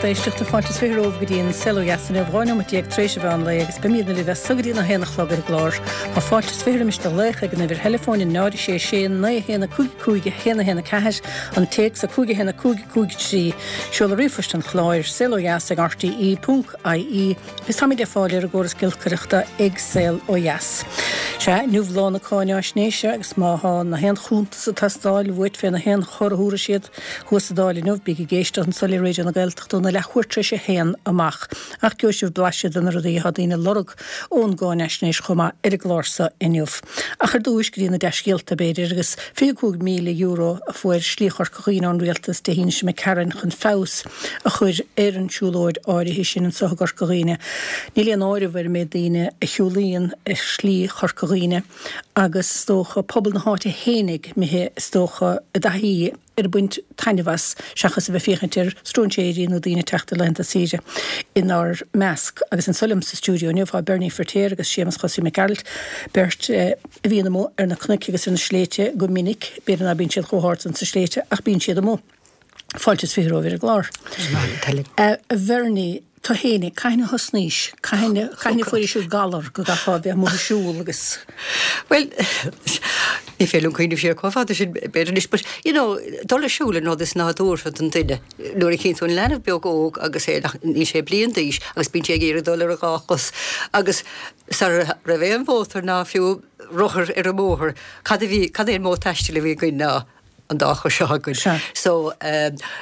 éisteachta, fáilte is romhaibh go dtí an Saol Ó Dheas inniu, 12 nóimeat tar éis an mheán lae agus beimidne libh as so go dtí an 1 a chlog ar an gclár. Tá fáilte is roimis do ghlaoch ag an uimhir theileafóin 0 6 6 9 1 5 5 1 1 4, an téacs 5 1 5 5 3, seoladh ríomhphoist an chláir, saolodheas ag rte ponc ie. Agus táimid le fáil ar an gcóras giolcaireachta ag Saol Ó Dheas. Sea, inniu lá na cáináisnéise agus má thá na haon chuntas ag teastáil uait fé na haon chor a thabharfaidh siad thuas sa Dáil inniu, bígí ag éisteacht anso le Raidió na Gaeltachta óna leathuair tar éis a haon amach. Ach gheobhaidh sibh blaiseadh de na rudaí atá daoine ag lorg ón gcáinaisnéis chomh maith ar an gclár so inniu. Ach ar dtúis, go dtí na dea-scéalta, b'fhéidir, agus €25,000 a fuair Slí Chorca Dhuibhne ón Rialtas Dé hAoine seo imigh tharainn chun feabhas a chur ar an tsiúlóid áirithe sin anso i gCorca Dhuibhne. Níl aon áireamh ar an méid daoine a shiúlaíonn ar Shlí Chorca Dhuibhne agus is dócha pobal na háite fhéinig imithe is dócha i dtaithí ar baint taitneamh as seachas a bheith féachaint ar stróinséirí nó daoine ag teacht ar laethanta saoire inár measc. Agus anso liom sa stiúideo inniu tá Bernie Firtéar agus Séamus Chosaí Mac Gearailt, beirt a bhíonn amuigh ar na cnoic agus ar na sléibhte go minic, b'fhéidir ná bíonn siad chomh hard san sna sléibhte ach bíonn siad amuigh. Fáilte is romhaibh ar an gclár. A Bhernie, tú fhéinig, cathain a thosnaís? Cathain a fuairis an galar go gcaithfeá a bheith amuigh ag siúl agus. Bhuel, ní féidir liom cuimhneamh siar chomh fada sin b'fhéidir anois, but, you know, dul ag siúl an rud is nádúrtha don duine. Nuair a chíonn tú an leanbh beag óg agus é nach, níl sé bliain d'aois agus bíonn sé ag iarraidh dul ar a dhá chos agus sara raibh aon mhótar ná fiú rothar ar an mbóthar, cad a bhí, cad é an modh taistil a bhí againn ná an dá chos seo againn. Sea. So,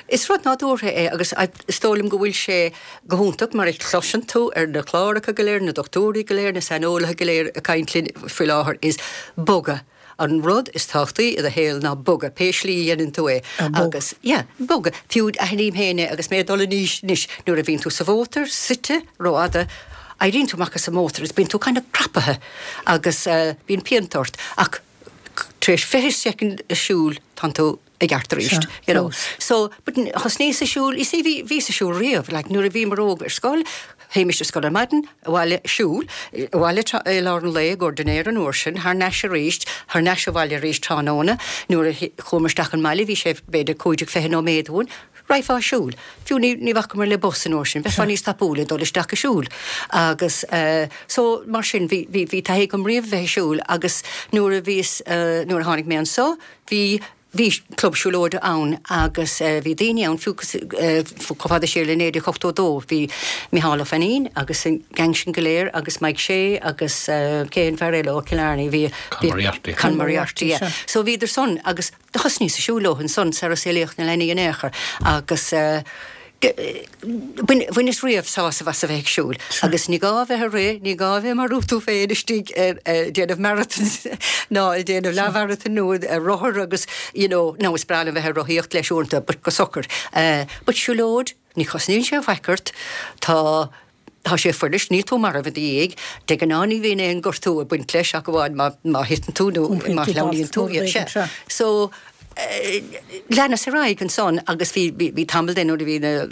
is rud nádúrtha é agus is dóigh liom go bhfuil sé go hiontach mar a chloiseann tú ar na cláracha go léir, na dochtúirí go léir, na saineolaithe go léir ag caint linn faoi láthair is bogadh. An rud is tábhachtaí i do shaol ná bogadh, pé slí a dhéanann tú é. Agus, yeah, bogadh. Fiú aithním féin é agus mé ag dul in aois anois, nuair a bhíonn tú sa mhótar, suite rófhada, éiríonn tú amach as an mótar agus bíonn tú kind of crapaithe agus bíonn pianta ort ach tar éis 20 soicind ag siúl tánn tú i gceart arís, you know. So, but thosnaíos ag siúl, you see bhí, bhíos ag siúl riamh, like nuair a bhíomar óg ar scoil, théimis ar scoil ar maidin, abhaile, siúl, abhaile i lár an lae i gcomhair dinnéar an uair sin, thar n-ais arís, thar n-ais abhaile arís tráthnóna, nuair a chuamar isteach an mbaile bhí sé b'fhéidir 25 nóiméad uainn, Raghfá ag siúl. Fiú ní, ní bhacamar le bus an uair sin, bheifeá níos tapúla ag dul isteach ag siúl. Agus eh, so, mar sin, bhí, bhí, bhí taithí agam riamh bheith ag siúl agus nuair a bhíos eh, nuair a tháinig mé anso, bhí, bhí club siúlóide ann agus eh, bhí daoine ann fiú cos, eh, chomh fada siar le 1982, bhí Micheál Ó Fainín agus an gang sin go léir agus Mike Shea agus eh, cé an fear eile ó Killarney, bhí, Con Moriarty. Con Moriarty, yeah. So bhíodar san agus Do thosnaíos ag siúl leo ansan sara saolaíodh na leanaí in aon chor agus bhaineas riamh sásamh as a bheith ag siúl agus ní gá a bheith ag rith, ní gá a bheith ag marú tú féin istigh ag déanamh marathons ná ag déanamh leathmharathon nó ar rothar agus you know, nó is breá liom bheith ag rothaíocht leis uaireanta but go socair. But siúlóid, ní chosnaíonn sé faic ort, tá Tá sé fuirist, níl tú marbh i do dhiaidh. De ghnáth ní bhíonn aon gortú ag baint leis ach amháin má má thiteann tú nó má shleamhnaíonn tú. Sea. So, leanas ar aghaidh ansan agus bhí bhí bhí tamall de nuair a bhí na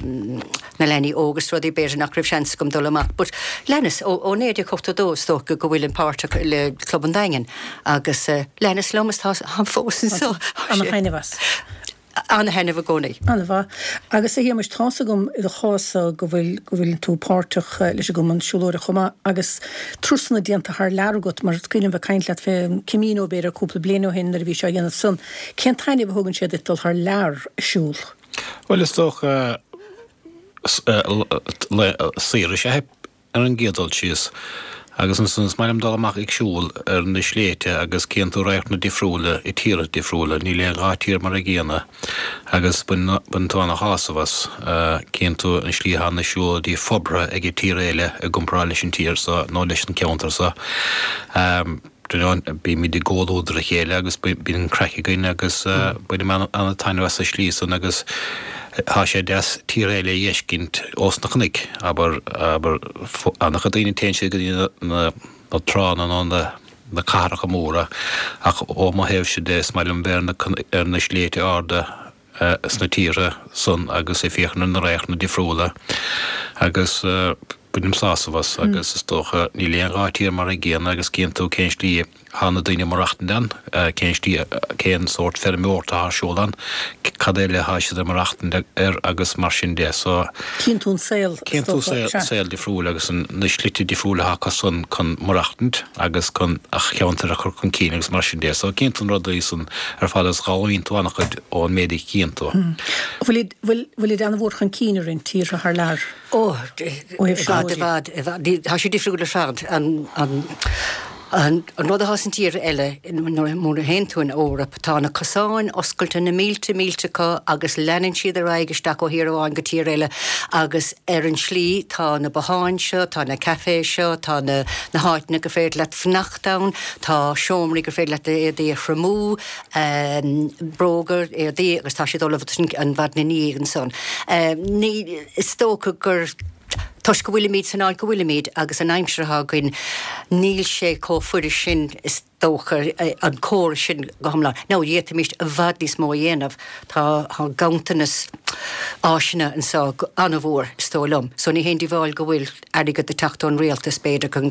na leanaí óg is rudaí b'fhéidir nach raibh seans agam dul amach but leanas ó ó 1982 is dócha go bhfuilim páirteach le Club an Daingin agus leanas liom is tá táim fós anso. Ana-thaitneamh as. Ana-thaitneamh i gcónaí. An-mhaith. Agus a Shéamais, tá's agam i do chás-sa go bhfuil, go bhfuil tú páirteach leis an gcumann siúlóireachta chomh maith agus turasanna déanta thar lear agat, mar is cuimhin liom bheith ag caint leat fé an Camino b'fhéidir cúpla bliain ó shin nuair a bhís á dhéanamh san. Cén taitneamh a thugann sé duit dul thar lear ag siúl? Bhuel, is dócha saoire is ea é. Ar an gcéad dul síos, agus ansan is maith liom dul amach ag siúl ar na sléibhte agus cíonn tú radharcanna difriúla i tíortha difriúla, níl aon dhá tír mar a gcéanna agus baineann tú ana-shásamh as. Cíonn tú an slí atá na siúlóidí forbartha ag an tír eile i gcomparáid leis an tír so nó leis an ceantar so. Bímid i gcomhluadar a chéile agus bíonn craic againn agus bainim an-taitneamh as an slí san agus tá sé deas tír eile a dh'fheiscint ós na cnoic, abair, abair, an-chuid daoine téann siad go dtí na tránna nó na cathracha móra ach ó mo thaobhse de is maith liom bheith ar na sléibhte arda sna tíortha san agus ag féachaint ar na radharcanna difriúla agus. Bainim sásamh as agus is dócha níl aon dhá tír mar a gcéanna agus cíonn tú cén slí thá na daoine ag maireachtaint ann, cén slí, cén sórt feirmeoireachta atá ar siúl ann, cad eile thá siad ag maireachtaint air agus mar sin de. So. Cíonn tú an saol, is Cíonn tú dócha, sea. saol difriúil agus na slite difriúla atá acu san chun maireachtaint agus chun a cheantar a chur chun cinn agus mar sin de. So cíonn tú na rudaí san ar fad agus d'fhoghlaimíonn tú an-chuid ón méid a chíonn tú. Bhfuil, bhfuil, bhfuil id an-mhór chun cinn i roinnt tíortha thar lear? Ó, i bhfad, i bhfad, i bhfad. Tá sé difriúil ar fad. An rud atá san tír eile, nuair a théann tú in Eoraip, tá na cosáin oscailte, na mílte, mílte acu agus leanann siad ar aghaidh isteach ó thír amháin go tír eile agus ar an slí tá na botháin seo, tá na cafés seo, tá na háiteanna gur féidir leat fanacht ann, tá seomraí gur féidir leat d'éadaí a thriomú, bróga, éadaí agus tá siad ullamh an mhaidin ina dhiaidh ansan. Ní, is dócha gur toisc go bhfuilimid san áit go bhfuilimid agus an aimsir atá againn, níl sé chomh fuirist sin is dócha an córas sin go hiomlán. Now d'fhéadfaimis i bhfad níos mó a dhéanamh, tá ganntanas áiseanna anseo an-mhór is dóigh liom, so ní haon díobháil go bhfuil airgead ag teacht ón rialtas b'fhéidir chun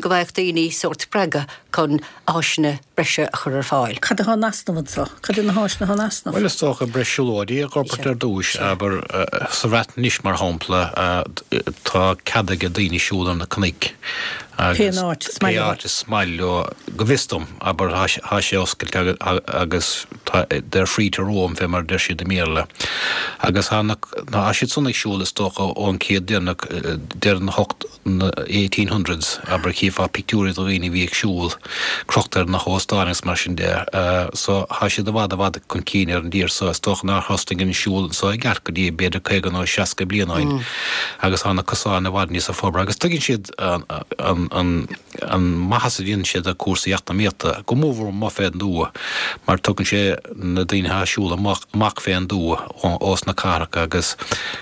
go bhfaigheadh daoine sórt spreagadh chun áiseanna breise a chur ar fáil. Cad atá in easnamh anseo? Cad iad na háiseanna atá in easnamh? Bhuel, is dócha breis siúlóidí a dh'fhorbairt ar dtúis. Abair, sa Bhreatain anois, mar shampla, tá cead ag daoine siúl ar na cnoic agus pé áit is maith leo, go bhfios dom, abair, tá sé oscailte agus tá, they're free to roam, fé mar a deir siad i mBéarla. Agus tá na, tá siad san ag siúl, is dócha, ón chéad deireanach, deireadh na hocht, na 1800s, abair, chífeá pictiúirí de dhaoine a bhí ag siúl crochta ar na hóstáin agus mar sin de. So, thá siad i bhfad, i bhfad chun cinn ar an dtír so. Is dócha nár thosnaigh an siúl anso i gceart go dtí b'fhéidir 50 nó 60 bliain ó shin agus thá na cosáin i bhfad níosa forbartha agus tuigeann siad an, an, an maitheas a dhéanann sé do cúrsaí eacnamaíochta, go mórmhór amuigh fén dtuath mar tugann sé na daoine athá ag siúl amach, amach fén dtuath ós na cathracha agus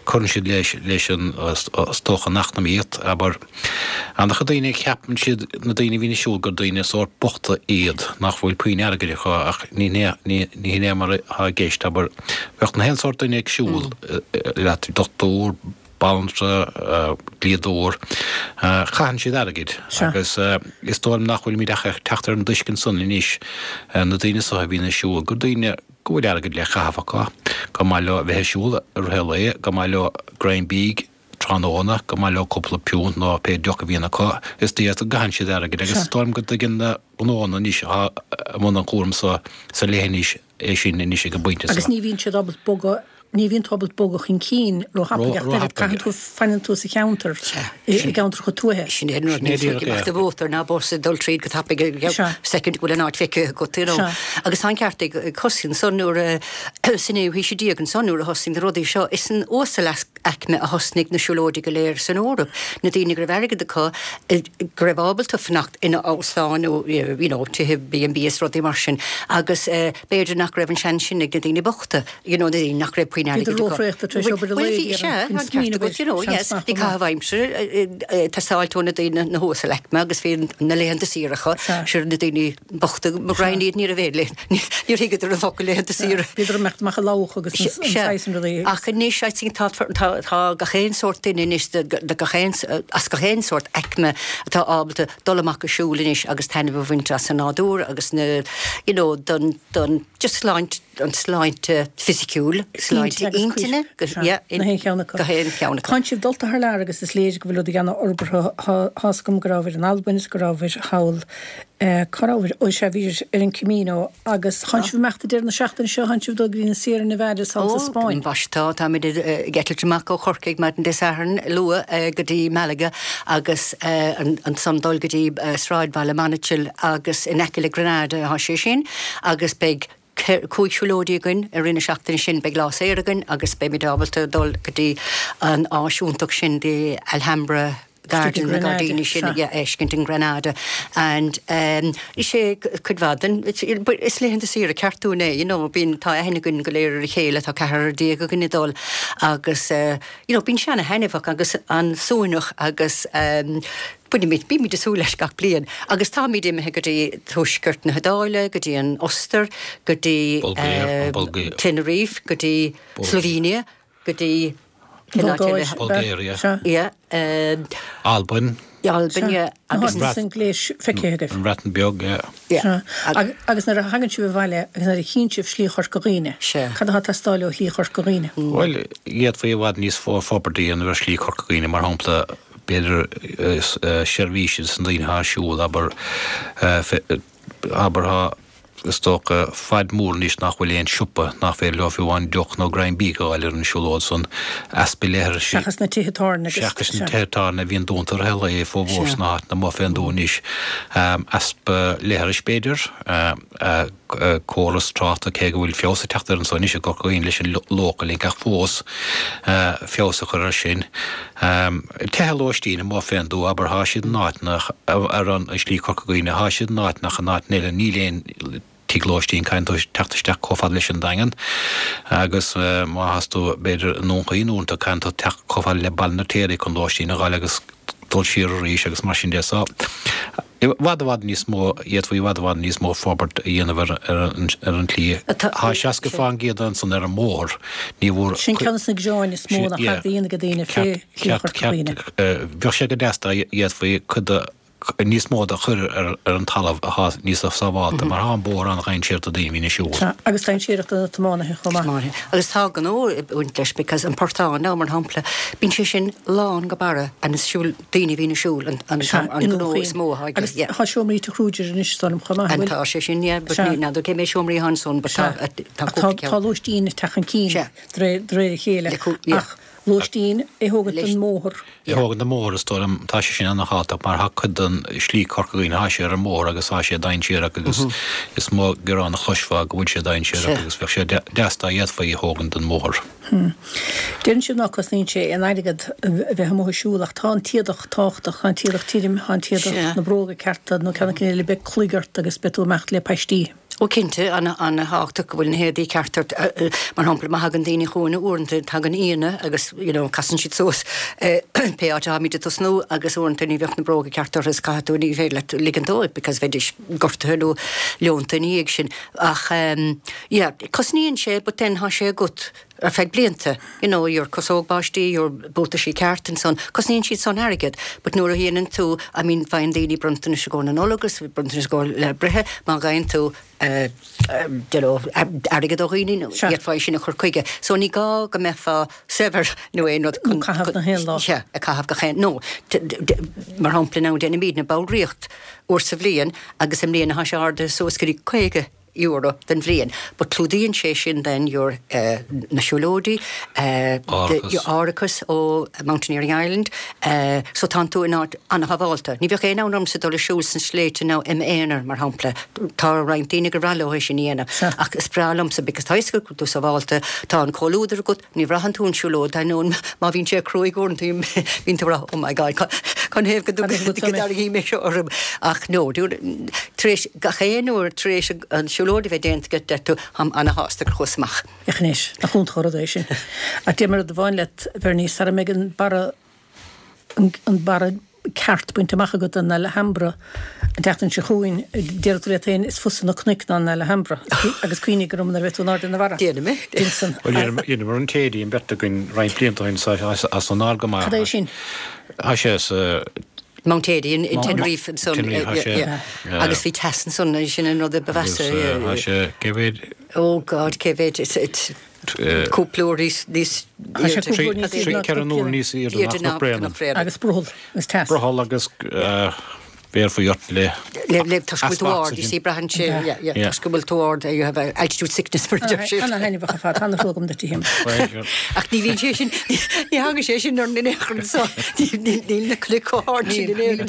cuireann siad leis, leis an, is dócha, an eacnamaíocht, abair. An-chuid daoine, ceapann siad, na daoine a bhíonn ag siúl, gur daoine sórt bochta iad, nach bhfuil puinn airgid acu ach ní hin é, ní hin é mar atá i gceist, abair. Bheadh na haon sórt duine ag siúl leat, dochtúir, banaltra, dlíodóir, caitheann siad airgead agus is dóigh liom nach bhfuilimid ach ag teacht ar an dtuiscint san anois, na daoine so a bhíonn ag siúl, gur daoine go bhfuil airgead le caitheamh acu, gur maith leo a bheith ag siúl i rith an lae, gur maith leo greim bídh tráthnóna, gur maith leo cúpla piúnt nó pé deoch a bhíonn acu, is dóigh go gcaitheann siad airgead agus is dóigh liom go dtuigeann na gnóanna anois atá i mbun an chúraim so sa leithinis é sin anois ag an bpointe seo. Agus ní bhíonn siad ábalta bogadh, ní bhíonn tú ábalta bogadh chun cinn róthapaidh ach oiread, caitheann tú, fanann tú sa cheantar, i gceantracha tuaithe. Sin é an rud, níl tú ag imeacht de bhóthar ná bus ag dul tríd go tapaidh, soicind go bhfuil an áit feicthe agat, you know. Agus tá an ceart ag Cosaí ansan nuair a, sa naoú haois déag ansan nuair a thosnaigh na rudaí seo, is san uasalaicme a thosnaigh na siúlóidí go léir san Eoraip, na daoine go raibh airgead acu, go raibh ábalta fanacht ina óstáin nó you know tithe B and B is rudaí mar sin agus b'fhéidir nach raibh an seans sin ag na daoine bochta, you know na daoine nach raibh puinn airgid acu. Bhíodar róthraochta tar éis obair an lae, Bhuel bhí, sea, an ceart agat, you know, yes, bhí caitheamh aimsire ag teastáilt ó na daoine na huasalaicme agus bhí na laethanta saoire acu, sure na daoine bochta mo ghraidhin iad ní raibh aon lae, níor thuigeadar an focal laethanta saoire. Bhíodar ag imeacht amach ag lamhach agus an saghas sin rudaí. Ach anois I think tá tá gach aon sórt duine anois de gach aon as gach aon sórt aicme atá ábalta dul amach ag siúl anois agus taitneamh a bhaint as an nádúr agus na you know don don just sláint an tsláinte fisiciúil, sláinte intinne, go haon cheann acu. Go haon cheann acu. Tánn sibh dulta thar lear agus is léir go bhfuil rudaí ana-fhorbartha. Tá's agam go rabhabhair in Albain is go rabhabhair thall, cá rabhabhair? Ó sea, bhíobhair ar an Camino agus tánn sibh ag imeacht ag deireadh na seachtaine seo, tánn sibh ag dul go dtí na Sierra Nevadas thall sa Spáinn. Ó, ambaiste tá, táimid ag eitilt amach ó Chorcaigh maidin Dé Sathairn luath go dtí Malaga agus ansan dul go dtí sráidbhaile Monachil agus in aice le Granada atá sé sin. Agus beidh 5 siúlóidí againn i rith na seachtaine sin. Beidh lá saor againn agus beimid ábalta dul go dtí an áis iontach sin, the Alhambra Garden, na gairdíní sin a fheiscint in Granada. And is é cuid mhaith den, is laethanta saoire ceart dúinn é, you know, bíonn, tá aithne againn go léir ar a chéile, tá ceathrar déag againn ag dul agus you know, bíonn sé ana-thaitneamhach agus an-suaimhneach agus bainimid, bímid ag súil leis gach bliain. Agus táimid imithe go dtí tuaisceart na hIodáile, go dtí an Ostair, go dtí Tenerife, go dtí Slovenia, go dtí. Cén áit eile? Bulgaria. Sea. Yeah. Albain. Albain, yeah. Agus na san gléis feicthe agaibh. An Bhreatain Bheag, yeah. Yeah. Sea. Agus nuair a thagann sibh abhaile agus nuair a chíonn sibh Slí Chorca Dhuibhne, cad atá ag teastáil ó Shlí Chorca Dhuibhne? Bhuel, d'fhéadfaí i bhfad níos mó forbairt a dhéanamh ar Shlí Chorca Dhuibhne, mar shampla, b'fhéidir seirbhísí dos na daoine atá ag siúl, abair, abair, tá, is dócha, fad mór anois nach bhfuil aon siopa nach féidir leo fiú amháin deoch nó greim bídh a fháil ar an siúlóid san. Easpa leithris. Seachas na tithe tábhairne agus. Seachas na tithe tábhairne a bhíonn dúnta i rith an lae, formhór sna háiteanna amuigh fén dtuath anois. Easpa leithris, b'fhéidir. Córas tráchta, cé go bhfuil feabhas ag teacht air anso anois i gCorca Dhuibhne leis an Local Link ach fós feabhas a chur air sin. Tithe lóistín amuigh fén dtuath, abair, thá siad in áiteanna ar an Slí Chorca Dhuibhne, thá siad in áiteanna ach in áiteanna eile níl aon tigh lóistín, caithfidh tú teacht isteach chomh fada leis an Daingean agus má thás tú b'fhéidir i nDún Chaoin uaireanta caithfidh tú teacht chomh fada le Baile an Fheirtéaraigh chun lóistín a dh'fháil agus dul siar arís agus mar sin de. So, i bhfad i bhfad níos mó, d'fhéadfaí i bhfad i bhfad níos mó forbairt a dhéanamh ar ar an tslí. Tá 60 fán gcéad ansan ar an mbóthar, ní bhfuair. Sin ceann de na gearáin is mó nach raibh a ag daoine fé Shlí Chorca Dhuibhne. Bheadh sé go deas dá bhféadfaí cuid de, níos mó de a chur ar an talamh atá níos sábhálta mar tá an bóthar an-dhainséarach do daoine a bhíonn ag siúl. Tá, agus dainséarach do na tiománaithe chomh maith. Agus tá gnó ag baint leis because an portán now mar shampla, bíonn sé sin lán go barra and is siúl, daoine a bhíonn ag siúl an gnó is mó atá aige. Agus tá seomraí Tigh Kruger anois is dóigh liom chomh maith, an bhfuil? Tá sé sin, yeah, but ní n'fheadar cé méid seomraí atá ansan but tá cúpla ceann. Tá lóistín ag teacht chun cinn de réir a chéile ach lóistín é thógaint den mbóthar. É thógaint den mbóthar is dóigh liom, tá sé sin ana-thábhachtach mar tá cuid den slí Corca Dhuibhne, tá sé ar an mbóthar agus tá sé dainséarach agus is mó gearán a chloisfeá go bhfuil sé dainséarach agus bheadh sé deas dá bhféadfaí é thógaint den mbóthar. Deireann sibh ná cosnaíonn sé aon airgead a bheith amuigh ag siúl ach tá an t-éadach tábhachtach, tá an t-éadach tirim, tá an t-éadach, na bróga cearta nó ceann eicínt eile, beidh cloig ort agus beidh tú ag imeacht le paistí. Ó cinnte, an-thábhachtach go bhfuil na héadaí ceart ort. Mar shampla, má thagann daoine chugainn uaireanta, tagann aíonna agus you know casann siad suas pé áit atáimid ag tosnú agus uaireanta ní bheadh na bróga ceart orthu is caithfidh tú, ní féidir leat ligean dóibh because bheidís gortaithe nó leonta ina dhiaidh sin. Ach yeah, cosnaíonn sé but then tá sé agat ar feadh blianta, you know, your cosóg báistí, your buataisí ceart and so on, cosnaíonn siad san airgead, but nuair a dhéanann tú, I mean, faigheann daoine bronntanais i gcomhair na Nollag agus bronntanais i gcomhair lá breithe, má gheibheann tú eh, you know, airgead ó dhaoine, nó d'fhéadfá é sin a chur chuige. So ní gá go mbeifeá saibhir nó aon rud chun, caitheamh gach aon lá. Yeah, a caitheamh gach aon, no, mar shampla now déanaimidne ballraíocht uair sa bhliain agus i mbliana tá sé ardaithe suas go dtí 50 euro don bhliain but clúdaíonn sé sin then your na siúlóidí, your árachas ó Mountaineering Ireland so tánn tú in áit an-shábhálta. Ní bheadh aon fhonn ormsa dul ag siúl sna sléibhte now im aonar mar shampla. Tá roinnt daoine gur bhreá leo é sin a dhéanamh ach is breá liomsa because tá a fhios agat go bhfuil tú sábhálta, tá an comhluadar agat, Ní bhraitheann tú an siúlóid, d'ainneoin má bhíonn sé cruaidh uaireanta bíonn tú ag rá oh my God canathaobh go dtarraingfidh mé seo orm ach no, tar éis gach aon uair tar éis an siúlóid a bheith déanta agat deir tú táim ana-shásta gur chuas amach. Féach anois, nach iontach an rud é sin. Ach déarfaidh mé rud amháin leat, Bernie, sara mbeidh an barra an barra ceart bainte amach agat den Alhambra an tseachtain seo chugainn, déarfaidh tú leat féin, is fusa na cnoic ná an Alhambra. Agus cuimhnigh orm nuair a bheidh tú in airde na mara. Déanfaidh mé. Déanfaidh. Bhuel, dheineamar an Teide an bheirt againn roinnt blianta ó shin so tá san ard go maith. Cad é sin? Tá sé sa. Mount Teide in Tenerife ansan. Tenerife, tá sé. Agus bhí teas ansan, sin an rud a ba mheasa. Agus tá sé, cé mhéad? Oh God, cé mhéad? Cúpla uair níos airde. 3, 4 uair níos airde ná Cnoc Bréanainn. Agus brothall agus teas. Brothall agus bhéarfaí ort le Le toisc go bhfuil tú ard, you see, braitheann sé, yeah, yeah, toisc go bhfuil tú ard, you have altitude sickness mar a deir siad. Ana-thaitneamhach ar fad, tá ana-thrua agam duit a Shéamais. Ach ní bhíonn sé sin, ní thagann sé sin orainn in aon chor anseo, níl na cnoic chomh hard sin in Éirinn.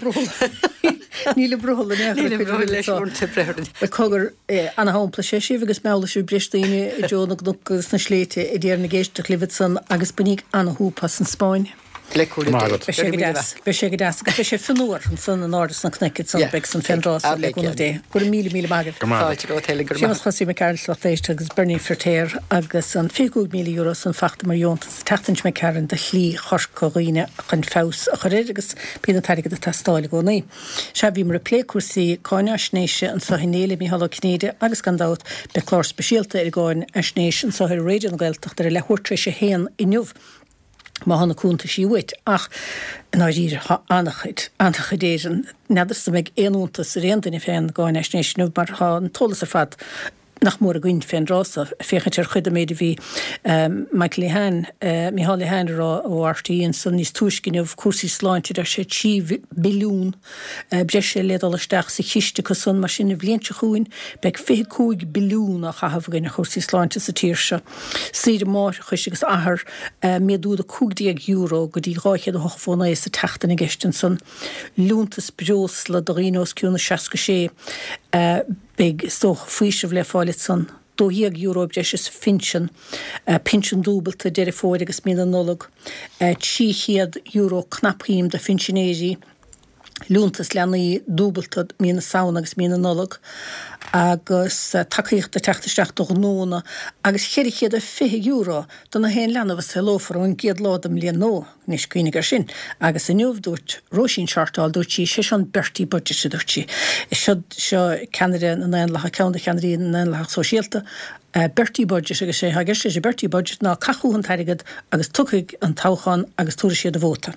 Níl an brothall in aon chor. Níl an brothall leis uaireanta, breith orainn. Cogar, Ana-shampla is ea sibh agus meallfaidh sibh breis daoine i dtreo na gcnoc agus na sléibhte a déarfainn ag éisteacht libh ansan agus bainíg ana-shúp as an Spáinn. Le cúnamh Dé. Beidh sé go deas. Beidh sé go deas agus beidh sé fionnuar ansan in airde sna cnoic ansan. Beidh san fén dtráth san le cúnamh Dé. Go raibh míle míle maith agaibh. Go raibh maith agat. Fáilte romhat Helen, go raibh maith. Séamus Chosaí Mac Gearailt lucht éisteachta agus Bernie Firtéar agus an €25,000 san fachta mar dheontas an tseachtain seo imigh tharainn do Shlí Chorca Dhuibhne chun feabhas a chur air agus bíonn an t-airgead ag teastáil i gcónaí. Sea, bhíomar ag plé cúrsaí cáinaisnéise anseo inné le Mícheál Ó Cinnéide agus gan dabht beidh clár speisialta ar an gcáinaisnéis anseo ar Raidió na Gaeltachta ar a leathuair tar éis a haon inniu. Má thá na cuntaisí uait. Ach, i ndáiríre, thá an-chuid, an-chuid Éireann. N'fheadarsa an mbeidh aon iontas ar aon duine fén gcáinaisnéis inniu mar thá an t-eolas ar fad nach mór againn fén dtráth so. Féachaint ar chuid den méid a bhí Michael Lehane, Micheál Lehane a rá ó RTÉ ansan níos túisce inniu, cúrsaí sláinte, deir sé 3 billiún breise le dul isteach sa chiste acu san, mar sin an bhliain seo chugainn beidh 25 billiún á chaitheamh againn ar chúrsaí sláinte sa tír seo. Saoire máithreachais agus athar, méadú de €15 go dtí 289 sa tseachtain i gceist ansan. Liúntas breosla do dhaoine os cionn 66, beidh, is dócha, faoiseamh le fáil ansan. €12 breise sa phinsean, pinsean dúbalta Deireadh Fómhair agus mí na Nollag, €300 cnapshuim do phinsinéirí. liúntas leanaí dúbalta mí na Samhna agus mí na Nollag agus tacaíocht ag teacht isteach do ghnónna agus €420 do na haon leanbh a saolófar ón gcéad lá den mbliain nua. Anois, cuimhnigh air sin. Agus inniu, dúirt Róisín Shortall, dúirt sí, sé seo an Bertie Budget, a dúirt sí. Seo, seo ceannaire na nDaonlathach, ceann de cheannairí na nDaonlathach Sóisialta, Bertie Budget agus sé atá i gceist leis an Bertie Budget ná caith chucu an t-airgead agus tiocfaidh an toghchán agus tabharfaidh siad a vóta.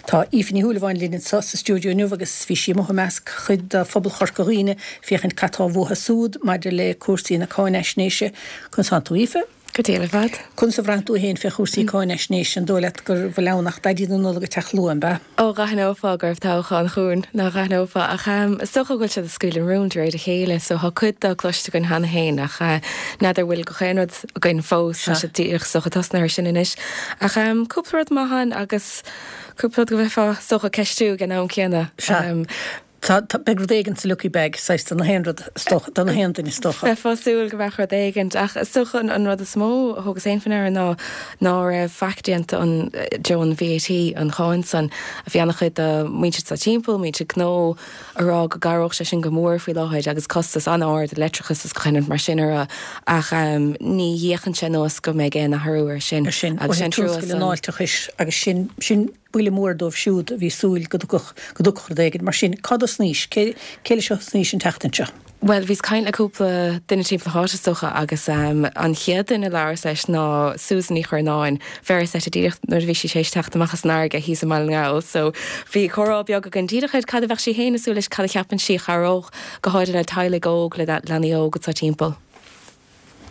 Tá Aoife Ní Shúilleabháin linn anseo sa stiúideo inniu agus bhí sí amuigh i measc chuid de phobal Chorca Dhuibhne féachaint cad tá uathu súd maidir le cúrsaí na cáinaisnéise. Conas tánn tú Aoife? Go diail ar fad. Conas a bhraitheann tú fhéin fé chúrsaí cáinaisnéise? An dóigh leat go bhfuil ann ach Daidí na Nollag ag teacht luath, an b'ea? Ó, dh'aithneofá go raibh toghchán chugainn, ná dh'aithneofá, ach is dócha go bhfuil siad ag scaoileadh an rúin de réir a chéile, so thá cuid dó cloiste againn cheana féin, ach n'fheadar bhfuil gach aon rud againn fós, tá siad díreach is dócha tosnaithe air sin anois. Ach cúpla rud maith ann agus cúpla rud go mbeifeá is dócha ag ceistiú ag an am céanna. Sea. Tá, tá, beidh rud éigin sa lucky bag, saghas, do na haon rud, is dócha, do na haon duine, is dócha. Bheifeá ag súil go mbeadh rud éigin, ach is dócha an, an rud is mó a thugas féin faoi ndeara ná ná raibh faic déanta an, deo an VAT, an cháin san. Bhí ana-chuid de muintir sa timpeall, muintir gnó, a rá go gcabhródh sé sin go mór faoi láthair agus costas an-ard leictreachas is gach aon rud mar sin orthu, ach ní fhéachann sé anuas go mbeidh aon athrú air sin. Ar sin, ó thaobh tionscal an fháilteachais agus sin, sin, Buille mór dóibh siúd a bhí súil go dtiocfadh, go dtiocfadh rud éigin. Mar sin, cá dtosnaís? Cé, cé leis a thosnaís an tseachtain seo? Bhuel, bhíos caint le cúpla duine timpeall na háite, is dócha, agus an chéad duine a labhras leis ná Susan Ní Churnáin. Bheireas uirthi díreach nuair a bhí sí tar éis teacht amach as an fharraige thíos i mBaile na nGall. So, bhí comhrá beag againn díreach ar cad a bheadh sí féin ag súil leis, cad a cheapann sí a chabhródh, go háirithe le teaghlaigh óg, le leanaí óg atá timpeall.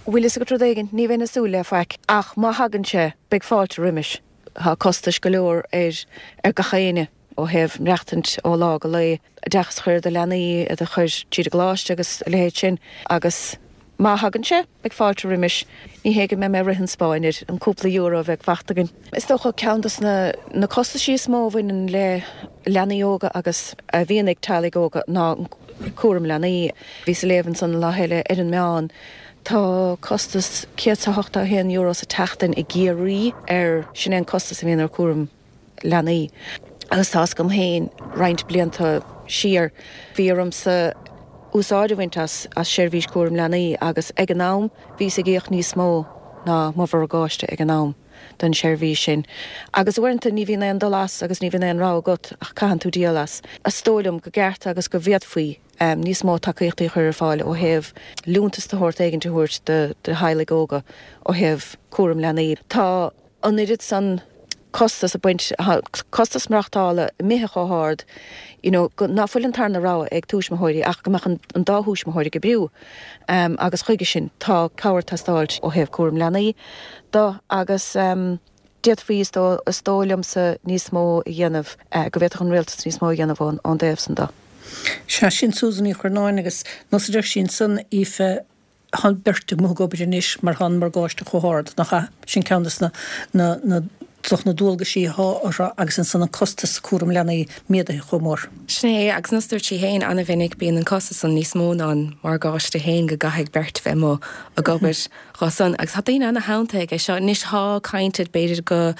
Bhfuil fhios agat rud éigin, ní bheinn ag súil le faic, ach má thagann sé, beidh fáilte roimis. Tá costais go leor ar ar gach éinne ó thaobh maireachtaint ó lá go lae, oideachas a chur ar do leanaí, iad a chur tríd an gcoláiste agus a leithéid sin agus má thagann sé, beidh fáilte roimis. Ní hé go mbeidh mé ag rith an spáin air, an cúpla euro a bheidh fachta againn. Is dócha ceann dos na na costaisí is mó a bhaineann le leanaí óga agus a bhíonn ag teaghlaigh óga ná cúram leanaí. Bhíos ag léamh ansan an lá eile ar an meán Tá costas €181 sa tseachtain i gCiarraí ar, sin é an costas a bhíonn ar chúram leanaí. Agus tá fhios agam féin roinnt blianta siar bhí ormsa úsáid a bhaint as as seirbhís cúram leanaí agus ag an am bhíos ag íoc níos mó ná mo mhorgáiste ag an am don seirbhís sin. Agus uaireanta ní bhíonn aon dul as agus ní bhíonn aon rogha agat ach caitheann tú díol as. Is dóigh liom go gceart agus go bhféadfaí. níos mó tacaíochtaí a chur ar fáil ó thaobh liúntas de shórt éigint a thabhairt do theaghlaigh óga ó thaobh cúram leanaí. Tá an oiread san costas ag baint, costas maireachtála imithe chomh hard you know go ná fuil an tarna rogha ag tuismitheoirí ach go mbeadh an dá thuismitheoir ag oibriú agus chuige sin tá cabhair ag teastáilt ó thaobh cúram leanaí do agus D'fhéadfaí, is dóigh liomsa, níos mó a dhéanamh, go bhféadfadh an rialtas níos mó a dhéanamh ón dtaobh san de. Sea, sin Susan Ní Churnáin agus nós a deir sí ansan, Aoife, tá an beirt amuigh ag obair anois mar tá an morgáiste chomh hard, nach ea? Sin ceann de na, na, na dualgaisí athá orthu agus ansan an costas cúram leanaí méadaithe chomh mór. Sin é, agus nós a dúirt sí féin, ana-mhinic bíonn an costas san níos mó ná an morgáiste féin go gcaithfidh beirt bheith amuigh ag obair. Dhá san, agus tá daoine ana-shantaithe aige seo. Anois thá caint air b'fhéidir go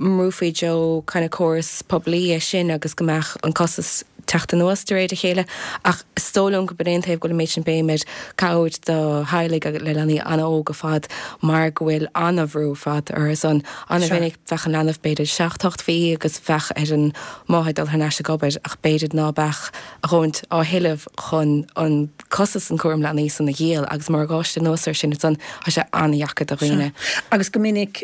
mbrúfaí deo kind of córas poiblí é sin agus go mbeadh an costas. teacht anuas de réir a chéile ach is dóigh liom gurb in é an taobh go bhfuil an méid sin béim ar cabhair do theaghlaigh le leanaí an-óg ar fad mar go bhfuil an-bhrú ar fad orthu san. An-mhinic bheadh an leanbh b'fhéidir seacht, ocht mhí agus bheadh ar an máthair dul thar n-ais ag obair ach b'fhéidir ná beadh a dhóthaint á thuilleamh chun an costas an cúram leanaí san a dhíol agus morgáiste anuas air sin ansan tá sé an-dheacair do dhaoine. Sea. Agus go minic,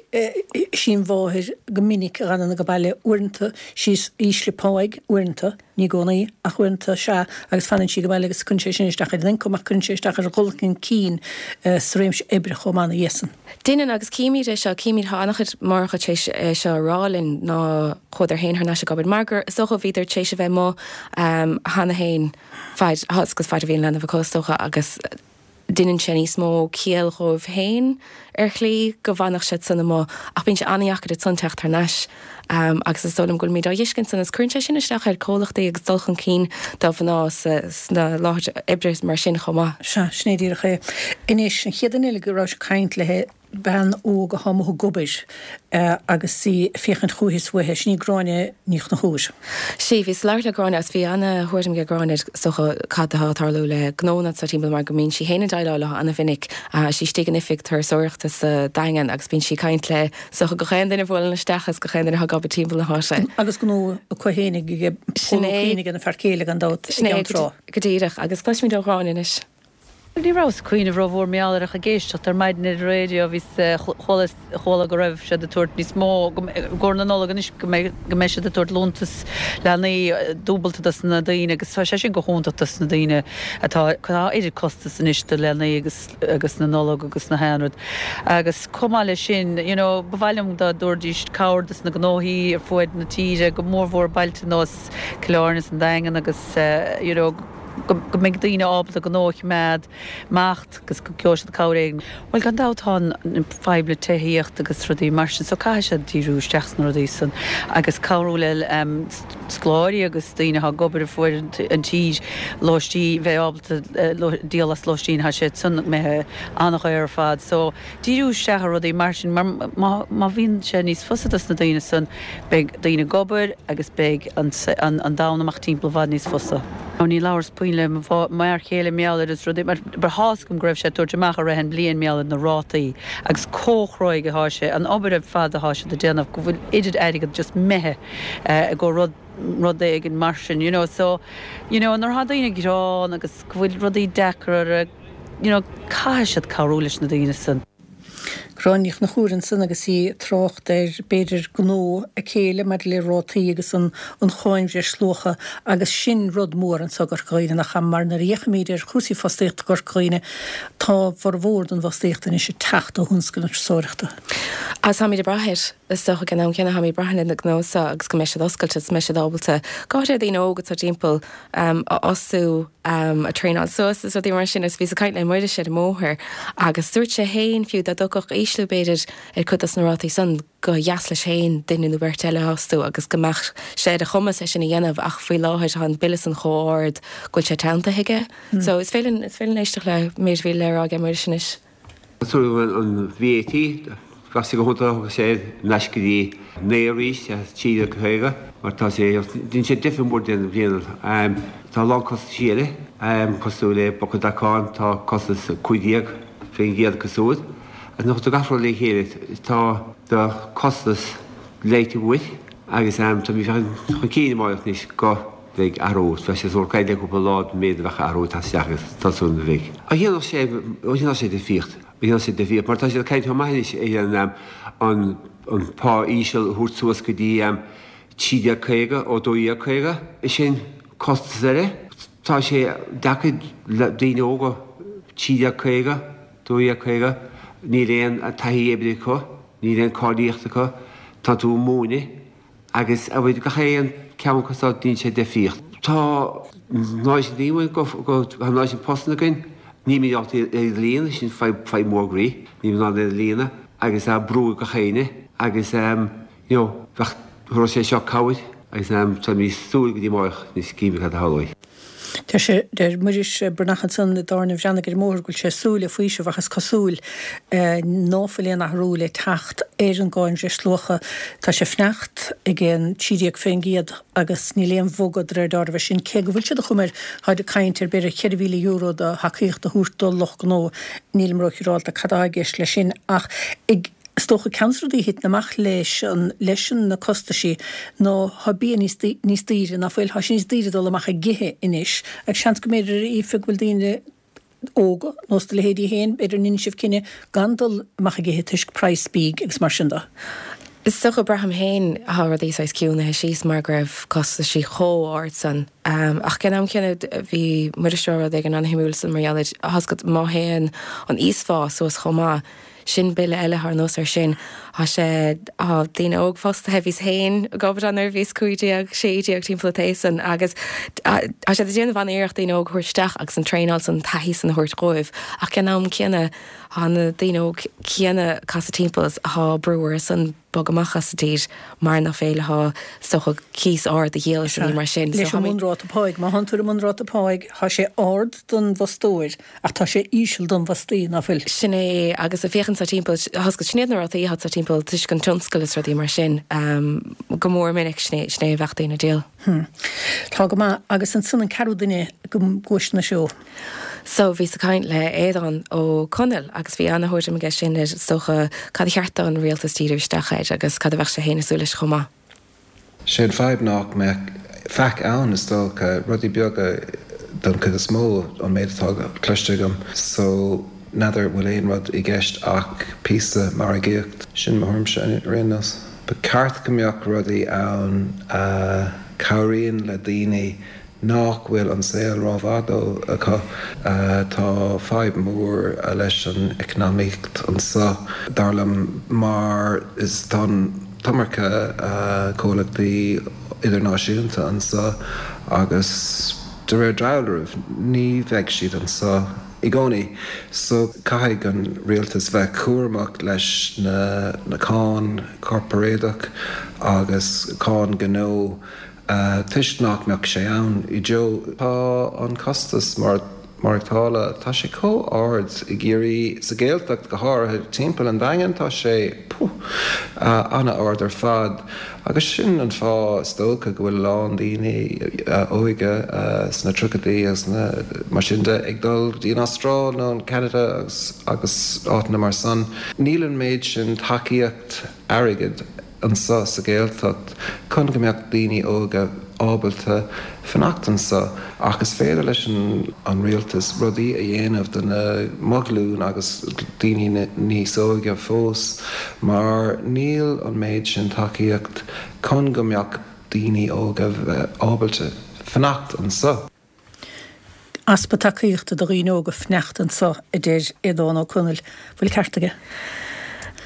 sí an mháthair go minic a dh'fhanann ag baile, uaireanta sí is ísle páigh, uaireanta, ní i gcónaí, ach uaireanta sea, agus fanann sí ag baile agus cuireann sé sin isteach ar an ioncam ach cuireann sé isteach ar dhul chun cinn sa réimse oibre chomh maith ina dhiaidh san. Deineann, agus címid é seo, címid, tá an-chuid máithreacha tar éis é seo a rá linn, ná chuadar féin thar n-ais ag obair mar gur, is dócha, bhíodar tar éis a bheith amuigh cheana féin faid, agus faid a bhí an leanbh acu, is dócha, agus deineann sé níos mó ciall dhóibh féin ar shlí go bhfanfadh siad san amuigh ach bíonn sé an-dheacair ansan teacht thar n-ais agus is dóigh liom go bhfuilimid á dh'fheiscint san agus cuireann sé sin isteach ar comhlachtaí agus dul chun cinn do mhná sna láthair oibre mar sin chomh maith. Sea, sin é díreach é. Anois, an chéad duine eile go rabhais ag caint léi, bean óg atá amuigh ag obair agus í ag féachaint chúichi is uaithi, sin í Gráinne Ní Chonchúir. Sea, bhíos ag labhairt le Gráinne agus bhí ana-thuairim ag Gráinne is dócha cad atá ag tarlú le gnónna anseo timpeall mar go mbíonn sí féin ag déileáil leo ana-mhinic. Tá sí istigh in oifig turasóireachta sa Daingean agus bíonn sí ag caint le is dócha gach aon duine a bhuaileann isteach agus gach aon duine atá ag obair timpeall na háite. Agus gnó acu féinig ag Pól Ó Cuinn ag an fear céile gan dabht i Sin é gCeann Trá. go díreach agus cloisfimid ó Ghráinne anois. Ní rabhas ag cuimhneamh rómhór mar gheall air ach ag éisteacht ar maidin ar an raidió bhíos, chuala, chuala go raibh siad ag tabhairt níos mó, go, i gcomhair na Nollag anois go mbeidh, go mbeidh siad ag tabhairt liúntas leanaí dúbalta dos na daoine agus tá sé sin go hiontach dos na daoine atá, tá oiread costas anois do leanaí agus, agus na Nollag agus na haon rud. Agus chomh maith leis sin, you know, ba mhaith liom dá dtabharfaidís cabhair dos na gnóthaí ar fuaid na tíre, go mórmhór bailte nós Cill Airne is an Daingean agus, you know, go mbeidh daoine ábalta gnó a choimeád imeacht agus go gheobhaidh siad cabhair éigin. Bhuel, gan dabht tá an fadhb le tithíocht agus rudaí mar sin so caithfidh siad díriú isteach sna rudaí san agus cabhrú le scoláirí agus daoine atá ag obair ar fuaid an tír lóistín, bheith ábalta díol as lóistín, tá sé san imithe an-dhaor ar fad so díriú isteach ar rudaí mar sin mar má bhíonn sé níos fusa dos na daoine san beidh daoine ag obair agus beidh an domhan amach timpeall i bhfad níos fusa. Ní labhras puinn le mo fhear chéile mar gheall air is rudaí mar but thá's agam go raibh sé ag tabhairt amach i rith an bhliain mar gheall ar na rátaí agus comh chruaidh atá sé, an obair ar fad atá siad ag déanamh go bhfuil oiread airgead just imithe i gcomhair rud rud éigin mar sin you know so you know nuair atá daoine ag gearán agus go bhfuil rudaí deacair orthu you know caithfidh siad cabhrú leis na daoine san. Gráinne Ní Chonchúir ansan agus í ag trácht ar, b'fhéidir, gnó a céile maidir le rátaí agus an cháin bhreisluacha agus sin rud mór anso i gCorca Dhuibhne nach ea mar nuair a fhéachaimid ar chúrsaí fostaíochta i gCorca Dhuibhne tá a bhformhór den bhfostaíocht anois ag teacht ó thionscal na turasóireachta. Agus táimid ag brath air, is dócha, ag an am céanna táimid ag brath ar na gnó seo agus go mbeidh siad oscailte agus go mbeidh siad ábalta, go háirithe daoine óga atá timpeall, a fhostú, a traenáil suas is rudaí mar sin agus bhíos ag caint le Muiris ar an mbóthar agus dúirt sé féin fiú dá dtiocfadh ísliú b'fhéidir ar cuid dos na rátaí san gur dheas leis féin duine nó beirt eile a fhostú agus go mbeadh sé ar a chumas é sin a dhéanamh ach faoi láthair tá an bille san chomh ard go bhfuil sé teanntaithe aige. So is féidir linn, is féidir linn éisteacht le méid a bhí le rá aige Muiris anois. Cosúil an VAT, bheadh sé go hiontach dá dtiocfadh sé ar ais go dtí 9 arís, as 13.50, mar tá sé, déanann sé difear mór den bhliain. Tá a lán costaisí eile, cosúil le bosca dracán, tá costas 15% cosúil. Agus nuair a chuirtear gach rud le chéile, tá do costas leighte uait agus tá mé ag féachaint chun cinn amárach anois go. Bheidh athrú, bheadh sé sórt caint le cúpla lá den méid a bheadh athrú ag teacht isteach agus tá súil agam go mbeidh. Ó dhéanfadh sé, ó dhéanfadh sé difríocht, ó dhéanfadh sé difríocht mar tá siad ag caint chomh maith anois ar an an pá íseal a thabhairt suas go dtí 13.50 ó 12.50, sin costas eile. Tá sé deacair le daoine óga 13.50, 12.50, níl aon taithí oibre acu, níl aon cáilíocht acu, tá tú ag múineadh, Agus a bhfuil gach aon ceann acu seo déanann sé difríocht. Tá an oiread sin daoine go tá an oiread sin postanna againn, nílimid ábalta iad a líonadh, sin fadhb mhór groí, nílimid in ann iad a líonadh agus tá brú ar gach éinne agus you know bheadh, thabharfadh sé seo cabhair agus tá mé ag súil go dtí amárach anois cífimid cad a tharlóidh. Deir sé, deir Muiris Breathnach ansan i dTábhairne an Bhreathnaigh ar an mbóthar go bhfuil sé ag súil le faoiseamh ach is cosúil ná fuil aon athrú le teacht ar an gcáin bhreisluacha. Tá sé ag fanacht ag an 13% agus níl aon bhogadh de réir dealraimh air sin cé go bhfuil siad ag cur, táid ag caint ar b'fhéidir €4,000 de thacaíocht a thabhairt do lucht gnó. Nílim róshiúrálta cad atá i gceist leis sin ach ag Is dócha ceann de na rudaí a thiteann amach leis an, leis an, na costaisí ná thá bia níos, níos daoire, ná fuil, thá sé níos daoire dul amach ag ithe anois agus seans go mb'fhéidir, a Aoife, go bhfuil daoine óga, nós do leithéidí féin, b'fhéidir ndeineann sibh cinneadh gan dul amach ag ithe toisc praghas bídh agus mar sin de. Is dócha, braithim féin, thá rudaí saghas ciúnaithe síos mar go raibh costaisí chomh ard san. Ach ag an am céanna bhí Muiris ag rá rud éigin an-shuimiúil san mar gheall ar, thá's agat, má théann an íosphá suas chomh maith, Sin bille eile thar nós ar sin. Thá sé, thá daoine óg fostaithe, bhíos féin ag obair ann nuair a bhíos 15, 16 timpeall an t-aois san agus tá siad ag déanamh an-iarracht daoine óg a thabhairt isteach agus an traenáil san, an taithí san a thabhairt dhóibh ach ag an am céanna thá na daoine óg céanna ag casadh timpeall is thá brú orthu san bogadh amach as an tír mar nach féidir leo is dócha cíos ard a dhíol is rudaí mar sin. Leis an mbunráta páigh, má thánn tú ar an mbunráta páigh, thá sé ard don bhfostóir Ach tá sé íseal don bhfostaí, ná fuil? Sin é, agus ag féachaint sa timpeall, thá's agat, sin iad na rátaí atá sa timpeall toisc an tionscal is rudaí mar sin, go mór minic, sin é, sin é a bheadh daoine ag díol. Hm. Tá go maith. Agus ansan an ceathrú duine go gcuaisne seo. So, bhíos ag caint le Aodhán Ó Conaill agus bhí ana-thuairim aige sin ar, is dócha, cad a cheart don rialtas díriú isteach air agus cad a bheadh sé féin ag súil leis chomh maith. Sé an fadhb nach mbeadh faic ann is dócha, rudaí beaga don chuid is mó, an méid atá cloiste agam. So n'fheadar bhfuil aon rud i gceist ach píosa margaíocht. Sin mo thuairimse ar aon nós. Ba cheart go mbeadh rudaí ann a chabhraíonn le daoine nach bhfuil an saol rómhaith dó acu. Tá fadhb mhór leis an eacnamaíocht anseo, dar liom, mar is tá an t-iomarca comhlachtaí idirnáisiúnta anseo agus de réir dealraimh ní bheidh siad anseo i gcónaí. So caithfidh an rialtas bheith cúramach leis na cáin corparáideach agus cáin gnó toisc nach mbeadh sé ann i deo. Tá an costas maireachtála, tá sé chomh ard i gCiarraí, sa Ghaeltacht go háirithe, timpeall an Daingean tá sé, puh, an-ard ar fad agus sin an fáth is dócha go bhfuil a lán daoine óige sna tríochaidí agus mar sin de ag dul go dtí an Astráil nó an Ceanada agus agus áiteanna mar san. Níl an méid sin tacaíocht airgid anseo sa Ghaeltacht chun go mbeadh daoine óga ábalta fanacht anseo ach is féidir leis an rialtas rudaí a dhéanamh do na mo ghlúin agus daoine níos óige fós mar níl an méid sin tacaíocht chun go mbeadh daoine óga ábalta fanacht anseo. Easpa tacaíochta do dhaoine óga fanacht anseo, a deir Aodhán Ó Conaill. Bhfuil ceart aige?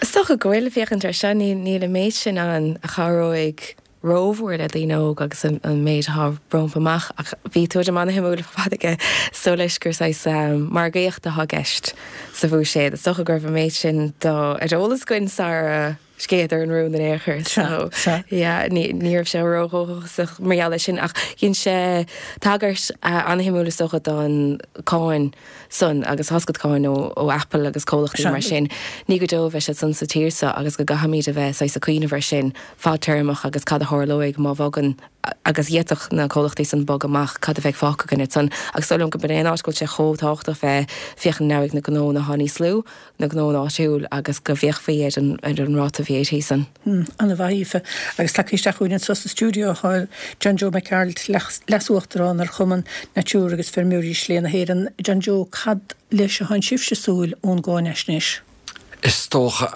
Is dócha go bhfuil, féachaint air seo, níl an méid sin ann a chabhróidh rómhór le daoine óga agus an méid atá rompu amach ach bhí tuairim an-shuimiúil ar fad aige is dóigh leis gur saghas margaíocht atá i gceist sa bhuiséad. Is dócha go raibh an méid sin ar eolas againn sara scéadar an rún in aon chor. So, yeah, ní raibh sé ródhóchasach mar gheall air sin ach dhein sé tagairt an-shuimiúil is dócha don cáin san agus tá's agat cáin ó Apple agus comhlachtaí mar sin. Ní go deo a bheidh siad san sa tír seo agus go gcaithfimid a bheith saghas ag cuimhneamh air sin fadtéarmach agus cad a tharlóidh má bhogann agus d'fhéadfadh na comhlachtaí san bogadh amach, cad a bheidh fágtha againn ansan. Agus is dóigh liom go b'in é an áit go bhfuil sé chomh tábhachtach bheith féachaint in aghaidh na gnónna atá níos lú. na gnónna áitiúil agus go bhféachfaí ar an ar an ráta VAT san. Ana-mhaith, Aoife. Agus tagtha isteach chugainn anseo sa stiúideo tá John Joe Mac Gearailt, Leas-Uachtarán ar Chumann Natura agus Feirmeoirí Slé na hÉireann. John Joe, cad leis atánn sibhse ag súil ón gcáinaisnéis? Is dócha,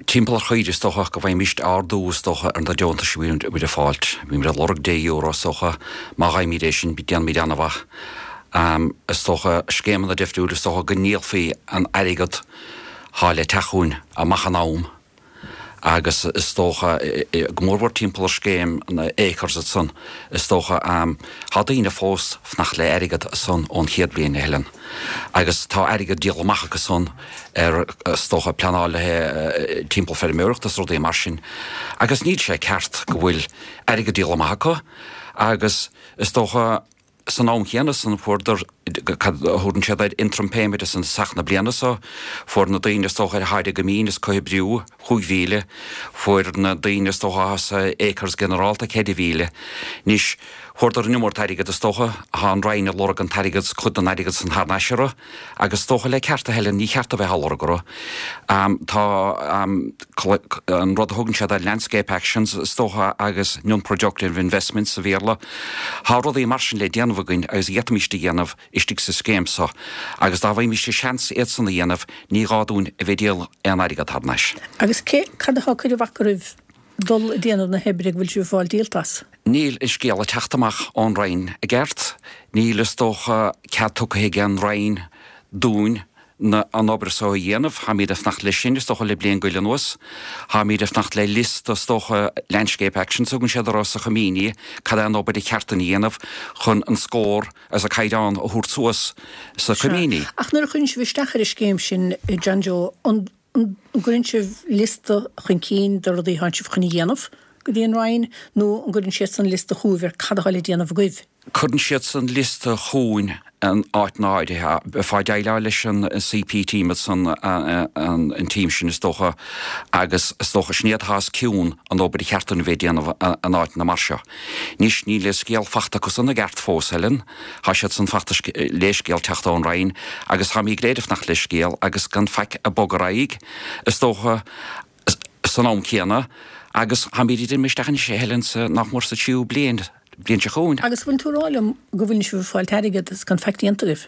Timpeall ar chaoire is dócha go bhfaighimíst ardú is dócha ar na deontais a bhíonn muid ag fáilt. Bímid ag lorg deich euro is dócha. Má fhaighimid é sin déanfaimid an-mhaith. Is dócha scéimeanna difriúil is dócha go ndíolfaí an airgead thá le teacht chugainn amach in am agus is dócha go mór mhór timpeall ar scéim na Acres ansan is dócha thá daoine fós fanacht le airgead ansan ón chéad bhliain a Helen agus tá airgead díolta amach acu san ar, is dócha, pleanáil le haghaidh timpeall feirmeoireachta is rudaí mar sin agus níl sé ceart go bhfuil airgead díolta amach acu. Agus is dócha san am chéanna san fuaireadar, cad a thabharann siad air, interim payment i dtosach na bliana so, fuair na daoine is dócha ar tháid i gcoimín is comhoibriú 5,000, fuair na daoine is dócha atá sa acres ginearálta 4,000. Anois, fuaireadar an iomarca airgead is dócha, tá an Roinn ag lorg an t-airgead, cuid den airgead san thar n-ais orthu. Agus is dócha le ceart, a Helen, ní cheart a bheith á lorg orthu. Tá an rud a thugann siad air landscape actions, is dócha, agus non-productive investments sa Bhéarla. Tá rudaí mar sin le déanamh againn agus a d'fhéadfaimíst a dhéanamh istigh sa scéim so. Agus dá bhfaighimíst seans iad san a dhéanamh, ní gá dúinn a bheith ag díol aon airgead thar n-ais. Agus cé, cad atá ag cur an bhac oraibh dul ag déanamh na hoibre go bhfuil sibh ag fáil díolta as? Níl an scéal ag teacht amach ón Roinn i gceart. Níl, is dócha, cead tugtha ag an Roinn dúinn na, an obair so a dhéanamh. Táimíd ag fanacht leis sin, is dócha, le bliain go leith anuas. Táimíd ag fanacht le liosta, is dócha, landscape actions a thugann siad orthu sa choimíní, cad é an obair a cheart dúinn a dhéanamh chun an scór agus an caighdeán a thabhairt suas sa Sea. choimíní. Ach nuair a chuireann sibh isteach ar an scéim sin, John Joe, an. An gcuireann sibh liosta chun cinn de rudaí atánn sibh chun a dhéanamh go dtí an Roinn nó an gcuireann siadsan liosta chugaibh ar cad atá le déanamh agaibh? Cuireann siadsan liosta chugainn in áiteanna áirithe. Bheifeá ag déileáil leis an CP team ansan, an team sin is dócha, agus is dócha sin iad atá os cionn an obair a cheart dúinn a bheith ag déanamh in áiteanna mar seo. Anois níl an scéal fachta acusan i gceart fós, Helen. Tá siad san ag fanacht le scéal teacht ón Roinn agus táimid go léir ag fanacht le scéal agus gan faic ag bogadh ar aghaidh, is dócha, san am céanna agus táimid ag dréim isteach anois, a Helen, sa, nach mór sa tríú bliain, bliain seo chugainn. Agus bhfuil tú ag rá liom go bhfuil sibh ag fáil airgead agus gan faic déanta agaibh?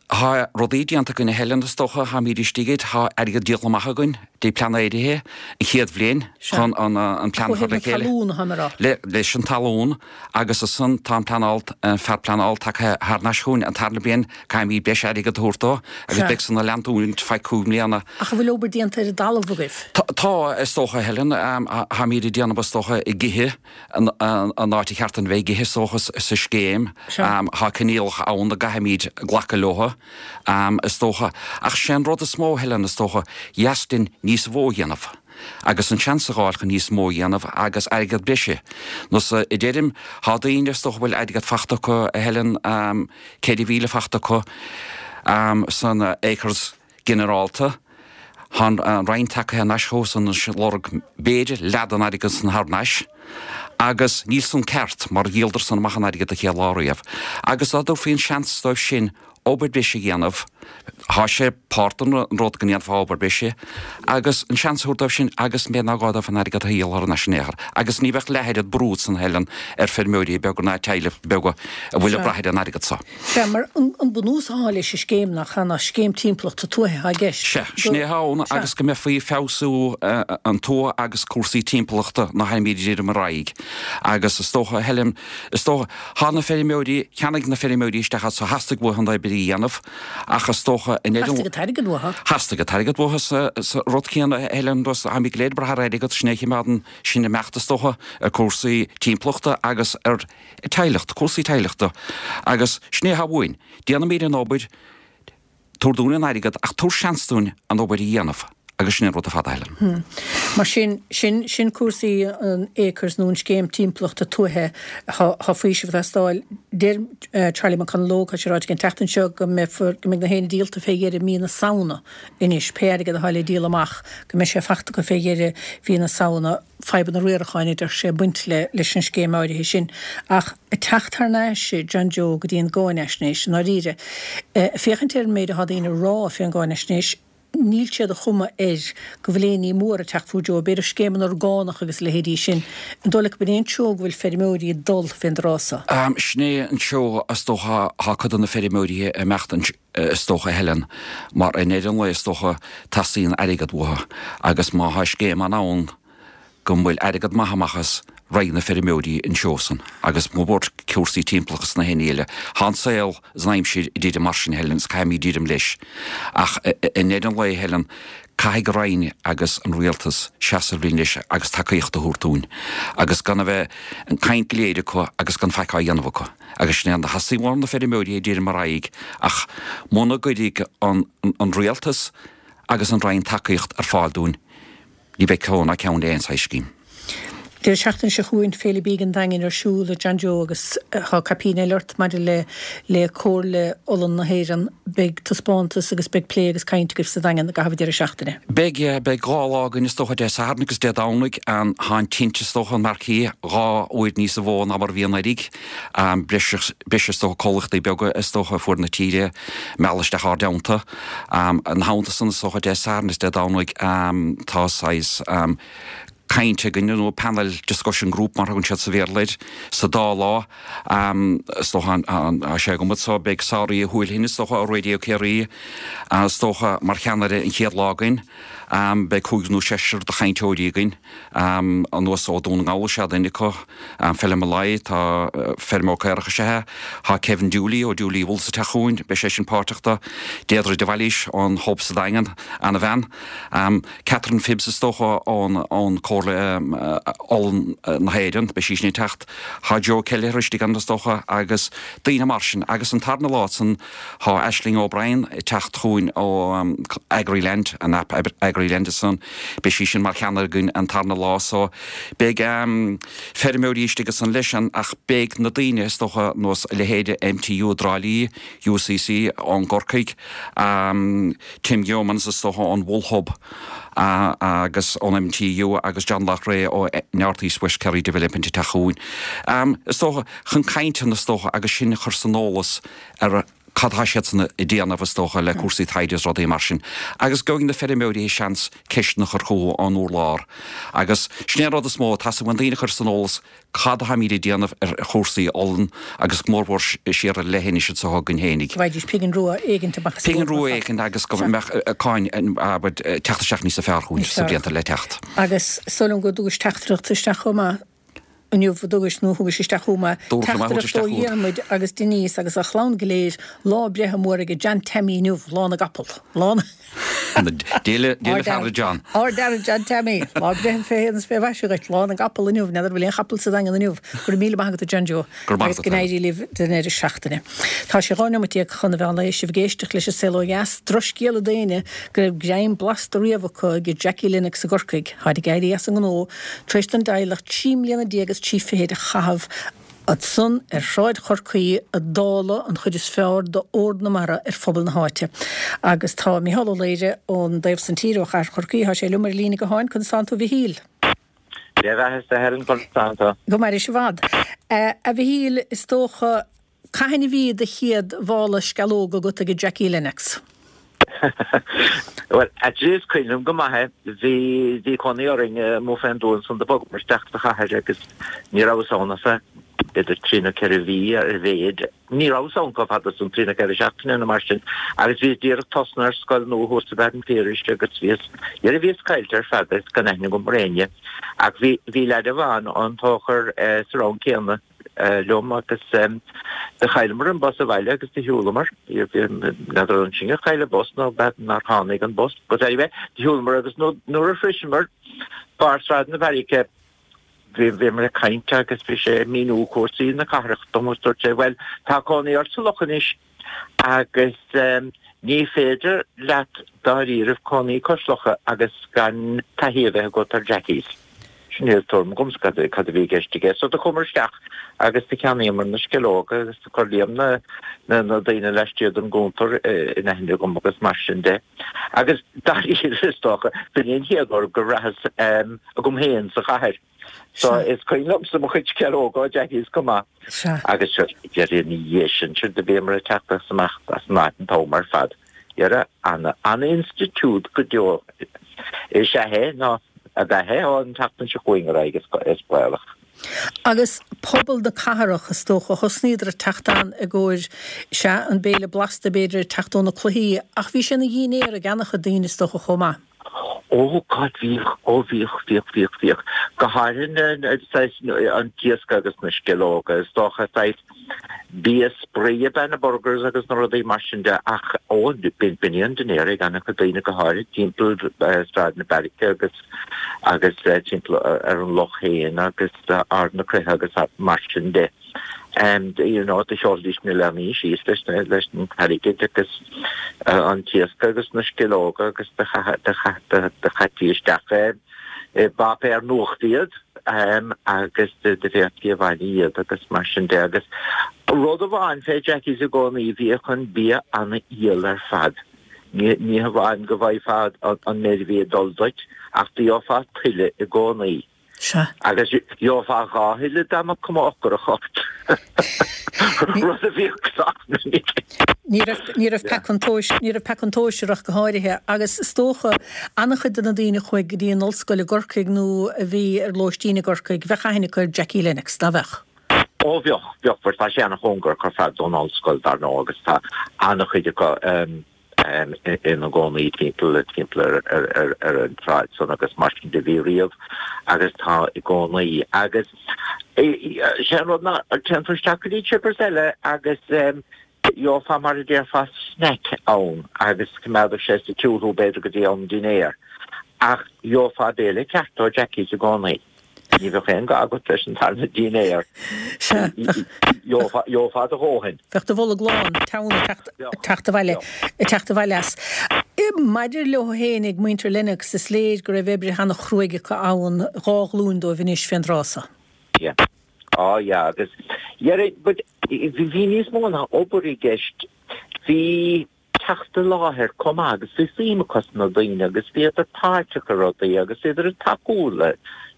Tá rudaí déanta againn a Helen, is dócha, táimid istigh air, tá airgead díolta amach againn dtí pleanáirithe an chéad bhliain chun an plean a chur le chéile. Ó thaobh na talún atá mé a rá. Leis an talún agus ansan tá an pleanáil, an fear pleanála tagtha thar n-ais chugainn an tarna bliain, caithfimid breis airgead a thabhairt dó agus beidh san ag leantúint feadh 5 mbliana. Ach an bhfuil obair déanta ar an dtalamh agaibh? Tá, is dócha a Helen, táimid ag déanamh is dócha ag ithe. an áit a cheart dúinn bheith ag ithe is dócha sa scéim. Tá coinníollacha ann a gcaithfimid glacadh leo, is dócha. Ach sé an rud is mó, a Helen, is dócha, dheas linn níos mó a dhéanamh agus an seans a dh'fháil chun níos mó a dhéanamh agus airgead breise. Nós a deirim, tá daoine, is dócha, a bhfuil airgead fachta acu, a Helen, 4,000 fachta acu san acres. ginearálta, tá an Roinn tagtha thar n-ais chucusan anois ag lorg b'fhéidir leath den airgead san thar n-ais agus níl san ceart mar dhíoladar san amach an airgead an chéad lá riamh agus dá dtabharfaí an seans dóibh sin obair breise a dhéanamh, tá sé páirt den rud go ndéanfá obair breise agus an seans a thabhairt dóibh sin agus b'fhéidir nár ghá dóibh an airgead a dhíol thar n-ais in aon chor agus ní bheadh leath oiread brú san a Helen ar feirmeoirí beaga ná teaghlaigh beaga a bhfuil ag brath ar an airgead so. Sea, mar an bunús atá leis an scéim nach ea, ná scéim timpeallachta tuaithe atá i gceist. Sea, sin é atá ann agus go mbeifí ag feabhsú an tuath agus cúrsaí timpeallachta ná tháimid ag dréim ar aghaidh. Agus is dócha, Helen, is dócha, thá na feirmeoirí, cheannaigh na feirmeoirí isteach as, theastaigh uathu an obair a dhéanamh ach is dócha, in Theastaigh an t-airgead uathu. Theastaigh an t-airgead uathu sa rud céanna, Helen, táimid go léir ag brath ar airgead, sin é a chimeádann sinn ag imeacht is dócha, ar cúrsaí timpeallachta agus ar teaghlach, cúrsaí teaghlachta agus sin é atá uainn. Déanaimid an obair, tabhair dúinn an airgead ach tabhair seans dúinn an obair a dhéanamh agus sin an rud ar fad a Helen. Mar sin, sin, sin cúrsaí an Acres nó an scéim timpeallachta tuaithe. Tá, tá faoiseamh ag teastáil. Deir Charlie McConalogue, tá sé ráite aige an tseachtain seo go mbeifear, go mbeidh na haonaid díolta fé dheireadh mí na Samhna anois, pé airgead atá le díol amach, go mbeidh sé fachta acu fé dheireadh mhí na Samhna. Fadhbanna riaracháin, a deir sé, ag baint le leis an scéim áirithe sin. Ach ag teacht thar n-ais, John Joe, go dtí an gcáinaisnéis, i ndáiríre, ag féachaint ar an méid atá daoine a rá fén gcáinaisnéis, níl sé de chuma air go bhfuil aon ní mór ag teacht fúthu, Joe, b'fhéidir scéimeanna orgánach agus a leithéidí sin. An dóigh leat gurb in é an treo go bhfuil feirmeoirí ag dul fén dtráth so? Sin é an treo, is dócha, thá cuid de na feirmeoirí ag imeacht is dócha, a Helen, mar i ndeireadh an lae, is dócha, teastaíonn airgead uathu agus má thá scéim ann go bhfuil airgead maith amach as, raghaidh na feirmeoirí an treo san agus mo bhuairt cúrsaí timpeallachta is na haon ní eile. Thá an saol is an aimsir ag druidim mar sin, a Helen, is caithfimid druidim leis. Ach i ndeireadh an lae, a Helen, caithfidh an Roinn agus an Rialtas seasamh linn leis agus tacaíocht a thabhairt dúinn agus gan a bheith an caint go léir acu agus gan faic á dhéanamh acu. Agus sin é an theastaíonn ó na feirmeoirí ag druidim ar aghaidh ach muna gcuirfidh an Rialtas agus an Roinn tacaíocht ar fáil dúinn ní bheidh ceo ná ceann le aon saghas scéim. Deireadh seachtaine seo chugainn, Féile Bídh an Daingin ar siúl a John Joe agus tá caipín eile ort maidir le le Comhairle Olann na hÉireann. Beidh taispeántas agus beidh plé agus caint agaibh sa Daingean i gcaitheamh an deireadh seachtaine. Beidh, yeah, beidh 2 lá againn is dócha, Dé Sathairn agus Dé Domhnaigh. Tá an tint is dócha, an marquee, 2 uair níosa mhó ná mar a bhí anuraidh. Breis, breis is dócha comhlachtaí beaga is dócha ar fuaid na tíre mealladh isteach ár dteannta. Ina theannta san is dócha Dé Sathairn is Dé Domhnaigh tá saghas caint againn nó panel discussion group mar a thugann siad sa Bhéarla air sa dá lá. Is dócha tá sé agam so beidh Sáraí Uí Huailthinn is dócha ó Radio Ciarraí is dócha mar cheannaire an chéad lá againn. Beidh cúigear nó seisear de chainteoirí againn anuas ó Dún na nGall is ea duine acu, Phelim Molloy, tá feirmeoir caorach is ea é, tá Kevin Dooley ó Dooley Wools ag teacht chugainn, beidh seisean páirteach do, Deirdre de Bhailís ón Hub sa Daingean, ana-bhean. Catherine Phibbs is dócha ón ón Comhairle Olann na hÉireann, beidh sí sin ag teacht. Tá Joe Kelleher istigh ann is dócha agus daoine mar sin. Agus an tarna lá san tá Aisling O'Brien ag teacht chugainn ó Agriland, an aip Agriland ansan, beidh sí sin mar cheannaire againn an tarna lá so beidh feirmeoirí istigh ansan leis an ach beidh na daoine is dócha nós a leithéide MTU i dTrá Lí, UCC ón gCorcaigh, Tim Yeomans is dócha ón Wool Hub agus ón MTU agus John Loughrea ó North East West Kerry Development ag teacht chugainn. Is dócha chun cainteanna is dócha agus sinn a chur san eolas ar cad atá siadsan ag déanamh is dócha le cúrsaí taighde is rudaí mar sin. Agus go bhfaighidh na feirmeoirí seans ceisteanna a chur chucu ón urlár. Agus sin é an rud is mó, tá uainn daoine a chur san eolas cad atáimid ag déanamh ar chúrsaí olann agus go mórmhór siar ar leithinis anseo againn fhéinig. Go bhfaighidís pingin rua éigint amach as an Pingin rua éigint agus go mbeadh cáin ag teacht isteach níosa fearr chugainn sna blianta le teacht. Agus is dóigh liom go dtugais teachtaireacht isteach chomh maith inniu, a dtugais nó thugais isteach chomh maith, teachtaireacht ó Dhiarmuid agus Denise agus a chlann go léir, lá breithe mór ag John Tammy inniu, lá na gcapall, lá na. Dia le feara John. Ár bhfeara John Tammy. Lá breithe fé shéan is fé mhaise dhuit. Lá na gcapall inniu. N'fheadar an bhfuil aon chapall sa Daingean inniu. Go raibh míle maith agat a John Joe. Go raibh maith Agus agat go n-éirí libh don deireadh seachtaine. Tá sé 12 nóimeat chun an mheán lae sibh ag éisteacht leis an Saol Ó Dheas. Drochscéala d'éinne go raibh greim blasta riamh acu ag Jackie Lennox i gCorcaigh. Táid ag éirí as an ngnó tar éis don dteaghlach 13 mbliana is trí fichid a chaitheamh Ansan ar Shráid Chorcaí a dáileadh an chuid is fearr d'ór na mara ar phobal na háite. Agus tá Micheál Ó Laoire ón dtaobh san tíre, ó chathair Chorcaí, tá sé liom ar an líne gutháin. Conas tánn tú a Mhichíl? Dia bheatha a Helen, conas tánn tú? Go mairis i bhfad. A Mhichíl, is dócha, cathain a bhí do chéad mhála sceallóg agat ag Jackie Lennox? Bhuel, actually is cuimhin liom go maith é. Bhí, bhí cónaí orainn amuigh fén dtuath ansan do bhogamar isteach sa chathair agus ní rabhas ann ach b'fhéidir trí nó ceithre mhí ar a mhéid. Ní rabhas ann chomh fada san, trí nó ceithre seachtaine nó mar sin. Agus bhíos díreach tosnaithe ar scoil nua thuas sa Mheadhon Phiarais agus bhíos, dhera bhíos caillte ar fad agus gan aithne agam ar éinne. Ach bhí, bhí leaid amháin ón Tóchar sa rang céanna. liom agus do chailleamar an bus abhaile agus do shiúlamar. N'fheadar an sinn a chaill an bus nó nár tháinig an bus. But anyway, do shiúlamar agus nuair a shroiseamar barr Sráid na Beairice bhíomar ag caint agus bhí sé ag míniú cúrsaí na cathrach dom agus dúirt sé, bhuel, tá cónaí ort sa Loch anois agus ní féidir leat dáiríribh cónaí cois locha agus gan taithí a bheith agat ar Jackies. Sin é tuairim agamsa cad a bhí i gceist aige. So do chuamar isteach agus do cheannaíomar na sceallóga agus do chuir Liam na na daoine laistiar den gcuntar in aithne agam agus mar sin de. Agus dáiríre is dócha, b'in é an chéad uair go rabhas agam féin sa chathair. So is cuimhin liomsa mo chuid sceallóga ó Jackies chomh maith. Agus sure, dhera ina dhiaidh sin, sure do bhíomar ag teacht as amach as an áit an t-am ar fad. Dhera, ana-institiúid go deo is ea é nó ab ea é ón tseachtain seo chugainn ar aghaidh is baolach. Agus pobal na cathrach, is dócha, thosnaíodar ag teacht ann i gcomhair, sea, an béile blasta b'fhéidir ag teacht ó na cluichí, ach bhí sé ina dhínnéar ag an-chuid daoine is dócha chomh maith. Ó God bhíodh, ó bhíodh, bhíodh, bhíodh, bhíodh. Go háirithe na, saghas, an t-iasc agus na sceallóga, is dócha, saghas bia spraoi ab ea na burgers agus na rudaí mar sin de ach ó b'in é an dinnéar ag an-chuid daoine go háirithe timpeall Sráid na Beairice agus agus timpeall ar an loch féin agus Ard na Croiche agus mar sin de. And you know do sheolfaidís na leanaí síos leis na leis an t-airgead agus an t-iasc agus na sceallóga agus do chaití isteach i bpáipéar nuachta iad. Agus d'fhéadfaí abhaile iad agus mar sin de. Agus rud amháin fé Jackie's i gcónaí, bhíodh an bia ana-fhial ar fad. Ní hamháin go bhfaighfeá an méid a bhí ag dul duit, ach do gheofá tuilleadh i gcónaí. Sea. Agus gheofá dhá thuilleadh dá mbeadh cuma ocrach ort. Rud a bhíodh sách minic. Ní raibh, ní raibh peaca an tomhais, ní raibh peaca an tomhais air ach go háirithe. Agus is dócha, an-chuid de na daoine a chuaigh go dtí an ollscoil i gCorcaigh nó a bhí ar lóistín i gCorcaigh, bheadh aithne acu ar Jackie Lennox, ná bheadh? Ó bheadh, bheadh, mar tá sé ana-chóngarach ar fad don ollscoil, dar ndóigh, agus tá an-chuid acu ina gcónaí timpeall, timpeall ar an tsráid san agus mar sin de bhí riamh agus tá i gcónaí. Agus sé an rud ná téann tú isteach go dtí Chippers eile agus gheofá mar a déarfá snack ann agus coimeádfadh sé sa tsiúl thú b'fhéidir go dtí am dinnéir. Ach gheofá béile ceart ó Jackie's i gcónaí. Ní bheadh aon gá agat leis an tarna dinnéar. Sea, bheadh. Gheofá do dhóthain. Bheadh do bholg lán, teann ag teacht abhaile, ag teacht abhaile as. Maidir leo féin ag muintir Lennox, is léir go raibh oibre ana-chruaidh acu ann, dhá ghlúin dóibh anois fén dtráth so. Yeah. Á yeah, agus dhera, but bhí níos mó ná obair i gceist. Bhí. teacht i láthair chomh maith agus bhí suim acu sna daoine agus bhíodar páirteach i rudaí agus bhíodar ag tacú le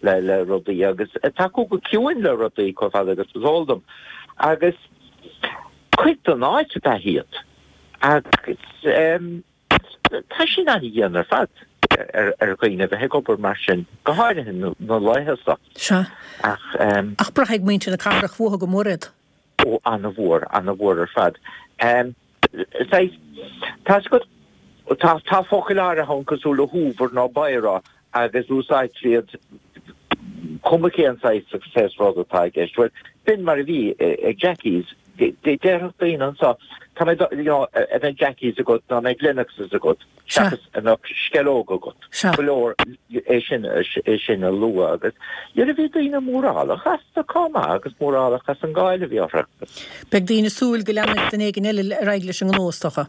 le rudaí agus ag tacú go ciúin le rudaí chomh fada agus is eol dom. Agus cuid den áit ab ea iad agus tá sin an-dhian ar fad ar ar dhaoine a bheith ag obair mar sin, go háirithe na laetha seo. Sea. Ach. Ach braithfidh muintir na cathrach uathu go mór iad. Ó, ana-mhór, ana-mhór ar fad. Saghas, tá's agat, tá, tá focail áirithe ann cosúil le hoover nó biro agus úsáidtear iad cuma cén saghas saghas rud atá i gceist. Bhuel, b'in mar a bhí ag Jackie's. Déarfadh daoine anseo, tá mé, you know, an mbeidh Jackie's agat nó an mbeidh Lennox's agat. seachas an mbeadh sceallóg agat. Ba leor é sin, é sin a lua agus nuair a bhí daoine mórálach astu chomh maith agus mórálach as an gcáil a bhí orthu. Beidh daoine ag súil go leanfaidh duine éigin eile ar aghaidh leis an ngnó, is dócha.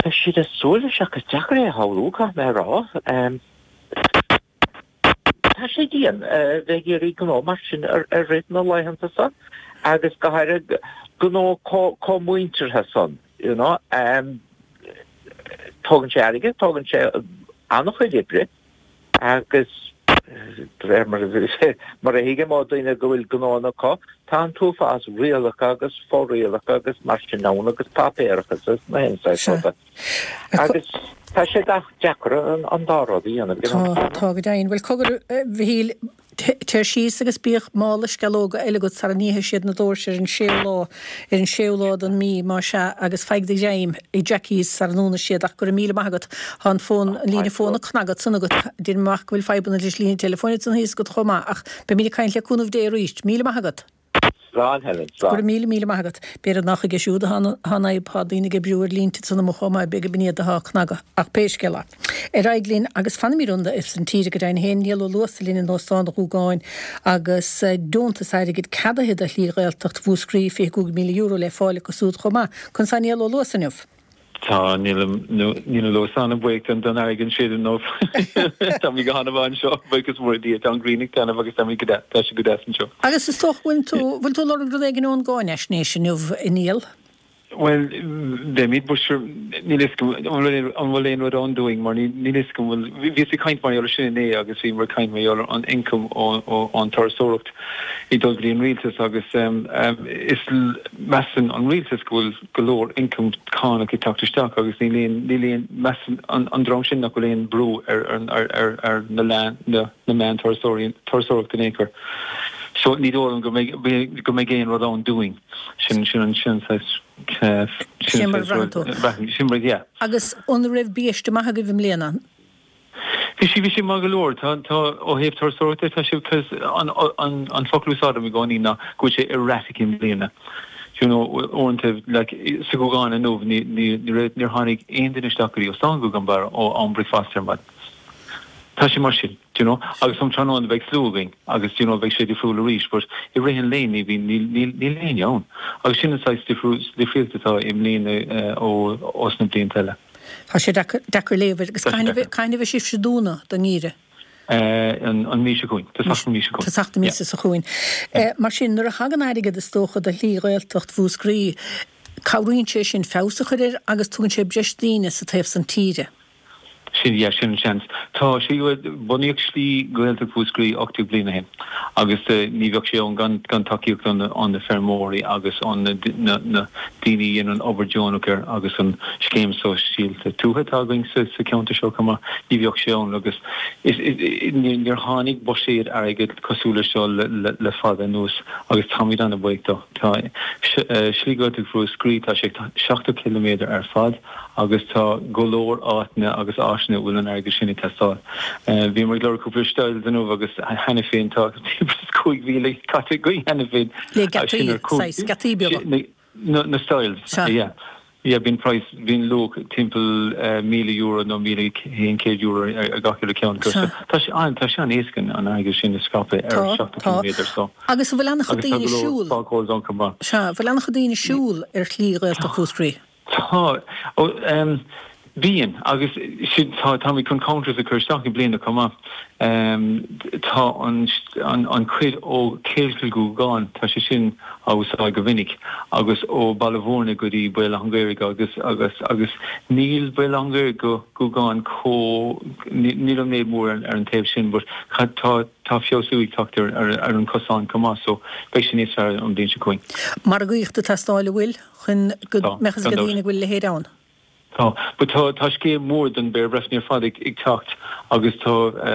Beidh siad ag súil leis ach is deacair é a shamhlú, caithfidh mé a rá. Tá sé dian bheith ag iarraidh gnó mar sin a rith na laethanta seo agus go háirithe gnó chomh muinteartha san, you know. Tógann sé airgead, tógann sé an-chuid oibre agus de réir mar mar a thuigim ó daoine go bhfuil gnóanna acu, tá an t-uafás rialacha agus fo-rialacha agus mar sin ann agus páipéarachas agus na haon saghas ruda. Agus tá sé deacair an dá rud a dhéanamh. Tá, tá go deimhin. Bhuel, cogar, a Mhichíl, téir síos agus bíodh mála sceallóga eile agat sara n-íosfaidh siad na doirse ar an séú lá, ar an séú lá den mí, má sea, agus faigh do ghreim i Jackie's sara ndúnfaidh siad. Ach go raibh míle maith agat. Tá an fón, an líne fóin ag cnagadh ansan agat. Deinim amach go bhfuil fadhbanna leis an líne teileafóin ansan thíos agat chomh maith. Ach beimid ag caint le cúnamh Dé arís. Míle maith agat. Slán, Helen, slán. Go raibh míle, míle maith agat. B'fhéidir nach chuige siúd atá an fhadhb, tá daoine ag oibriú ar línte ansan amuigh chomh maith, b'fhéidir gurb in iad atá ag cnagadh. Ach pé scéal é. Ar aghaidh linn agus fanaimid ins an tír go deimhin féin, Niall Ó Luasa linn in Óstán an Ghúgáin agus deontas airgid ceadaithe do Shlí Ghaeltacht Mhúscraí, €25,000 le fáil acu súd chomh maith. Conas tá Niall Ó Luasa inniu? Tá, níl na Luasa an-bhuíoch don airgead sin inniu. Táimid go han-mhaith anseo, buíochas mór le Dia. Tá an ghrian ag taitneamh agus táimid go deas, tá sé go deas anseo. Agus is dócha, bhfuil tú, bhfuil tú ag lorg rud éigin ón gcáinaisnéis inniu, a Niall? Bhuel, beimid, but sure, níl fhios agam, an bhfuil aon rud ann dúinn mar níl fhios agam, bhfuil, bhíos ag caint mar gheall ar sin inné agus bhíomar ag caint mar gheall ar an ioncam ón turasóireacht ag dul go dtí an rialtas agus is, measann an rialtas go bhfuil go leor ioncam cánach ag teacht isteach agus níl aon, níl aon, measann an dream sin nach bhfuil aon brú ar, ar, ar, ar na na, na meáin turasóirí, turasóireachta in aon chor. So ní dóigh liom go mbeidh, go mbeidh aon rud ann dúinn. Sin, sin an, sin an saghas, sin an saghas rud, sin mar, yeah. Agus an raibh biaiste maith agaibh i mbliana? Bhí sé, bhí sé maith go leor. Tá, tá, ó thaobh turasóireachta, tá sé, cos an, an, an focal a úsáidim i gcónaí ná go bhfuil sé erratic i mbliana. Do you know, uaireanta, like, sa Ghúgán inniu, ní, ní, ní raibh, níor tháinig aon duine isteach go dtí Óstán Ghúgán Barra ó am bricfeasta ar maidin. Tá sé mar sin, do you know, agus um tráthnóna beidh slua againn agus, do you know, beidh sé difriúil arís, but i rith an lae ní bhíonn, níl, níl, níl éinne ann. Agus sin an saghas difriú, difríocht atá i mbliana ó, ós na blianta eile. Tá sé deacair léamh air. Agus cathain a bheidh sibhse ag dúnadh don ngeimhreadh? An mhí seo chugainn. Tosach na mí seo chugainn. Tosach na míosa seo chugainn. Mar sin, nuair a thagann airgead is dócha do Shlí Ghaeltacht Mhúscraí, cabhraíonn sé sin feabhas a chur air agus tugann sé breis daoine sa taobh san tíre. Sin, yeah, sin an seans. Tá sí, bunaíodh Slí Ghaeltacht Mhúscraí 18 bliain ó shin agus ní bheadh sé ann gan gan tacaíocht ó na feirmeoirí agus ó na na daoine a dhéanann obair deonach air agus an scéim sóisialta tuaithe atá againn sa sa cheantar seo chomh maith, ní bheadh sé ann agus is níor tháinig buiséad airgid cosúil leis seo le le le fada anuas agus táimid an-bhuíoch dó. Tá Slí Ghaeltacht Mhúscraí, tá sé 70 ciliméadar ar fad. agus tá go leor áiteanna agus áiseanna a bhfuil an airgead sin ag teastáil. Bhíomar ag lorg cúpla stiles inniu agus cheana féin tá 5,000 caite againn cheana féin. Le geataí, saghas geataí beaga. Na stiles, yeah. Yeah, bíonn praghas, bíonn luach timpeall €1,000 nó €1,100 ar gach uile ceann acu. So tá sé an, tá sé an-éasca an airgead sin a scaipeadh ar 70 ciliméadar so. Agus an bhfuil an-chuid Agus tá daoine go leor siúl? fog holes ann chomh maith. Sea, an bhfuil an-chuid daoine siúl ar Shlí Ghaeltacht Mhúscraí? Tá. Ó, em, bíonn, agus sin, tá, táimid chun counters a chur isteach i mbliana chomh maith. Em, tá an, an, an chuid ó Chill go Gúgán, tá sé sin á úsáid go minic, agus ó Baile Mhúirne go dtí Béal Átha an Ghaorthaidh agus, agus, agus níl Béal Átha an Ghaorthaidh go Gúgán chomh, níl an méid mór ar, ar an taobh sin but tá, tá feabhsú ag teacht ar, ar, ar an cosán chomh maith so beidh sé níos fearr an bhliain seo chugainn. Margaíocht ag teastáil, an bhfuil? chun go mbeadh fhios ag daoine go bhfuil a leithéid ann. Tá. But tá, tá scéim mhór don Bhéar Breifne ar fad ag teacht agus tá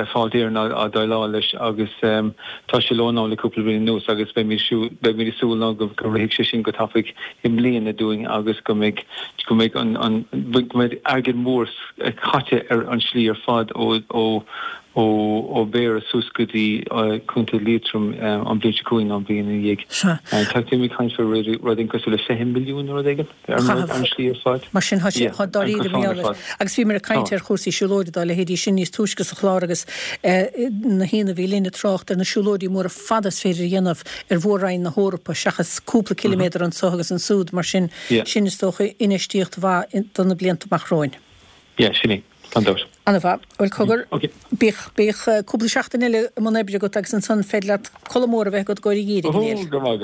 Fáilte Éireann á déileáil leis agus tá sé leo now le cúpla bliain anuas agus beimid beimid ag súil now go go rithfidh sé sin go tapaidh i mbliana dúinn agus go mbeidh go mbeidh an an go mbeidh airgead mór caite ar an slí ar fad ó ó ó Bhéarra suas go dtí Contae Liatroim an bhliain seo chugainn nó an bhliain ina dhiaidh. Tá mé ag caint faoi rud éigin cosúil le 20 milliún nó rud éigin ar an slí ar fad. Mar sin, tá sé dáiríre mar gheall air. Agus bhíomar ag caint ar chúrsaí siúlóide dá leithéidí sin níos túisce sa chlár agus na haíonna a bhí linn ag trácht ar na siúlóidí móra fada is féidir a dhéanamh ar mhór-roinn na hEorpa seachas cúpla ciliméadar anso agus ansúd. Mar sin, sin is dócha infheistíocht mhaith do na blianta amach romhainn. Yeah, sin é. Gan dabht. Ana-mhaith. Bhuel, cogar, bíodh, bíodh cúpla seachtain eile i mbun oibre agat agus ansan féidir leat codladh mór a bheith agat i gcomhair an gheimhridh, a Néill. Go raibh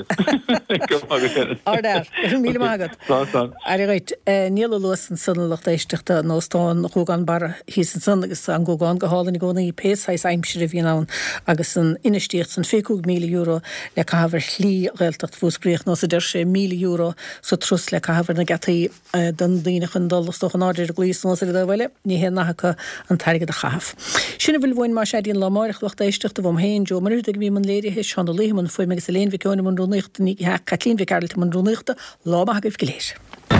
maith agat. Go raibh maith agat, Helen. Ardfhear. Go raibh míle maith agat. Slán, slán. Aire dhuit. Niall Ó Luasa ansan, a lucht éisteachta, in Óstán Ghúgán Barra thíos ansan agus tá an Gúgán go hálainn i gcónaí, pé saghas aimsire a bhíonn ann agus an infheistíocht san, €25,000 le caitheamh ar shlí Ghaeltacht Mhúscraí, ar nós a deir sé, €1,000 sa turas le caitheamh ar na geataí. do na daoine chun dul is dócha in airde ar an gclaí is anuas ar an dtaobh eile, ní haon nath acu an t-airgead a chaitheamh. Sin a bhfuil uainn más ea go dtí an lá amáireach, lucht éisteachta, uaim féin, Joe Ó Muircheartaigh a bhí i mbun léirithe, Seán Ó Laoithe i mbun fuaime agus Elaine Mhic Eoin i mbun rúnaíochta, ní hea, Caitlín Mhic Gearailt i mbun rúnaíochta, lá maith agaibh go léir.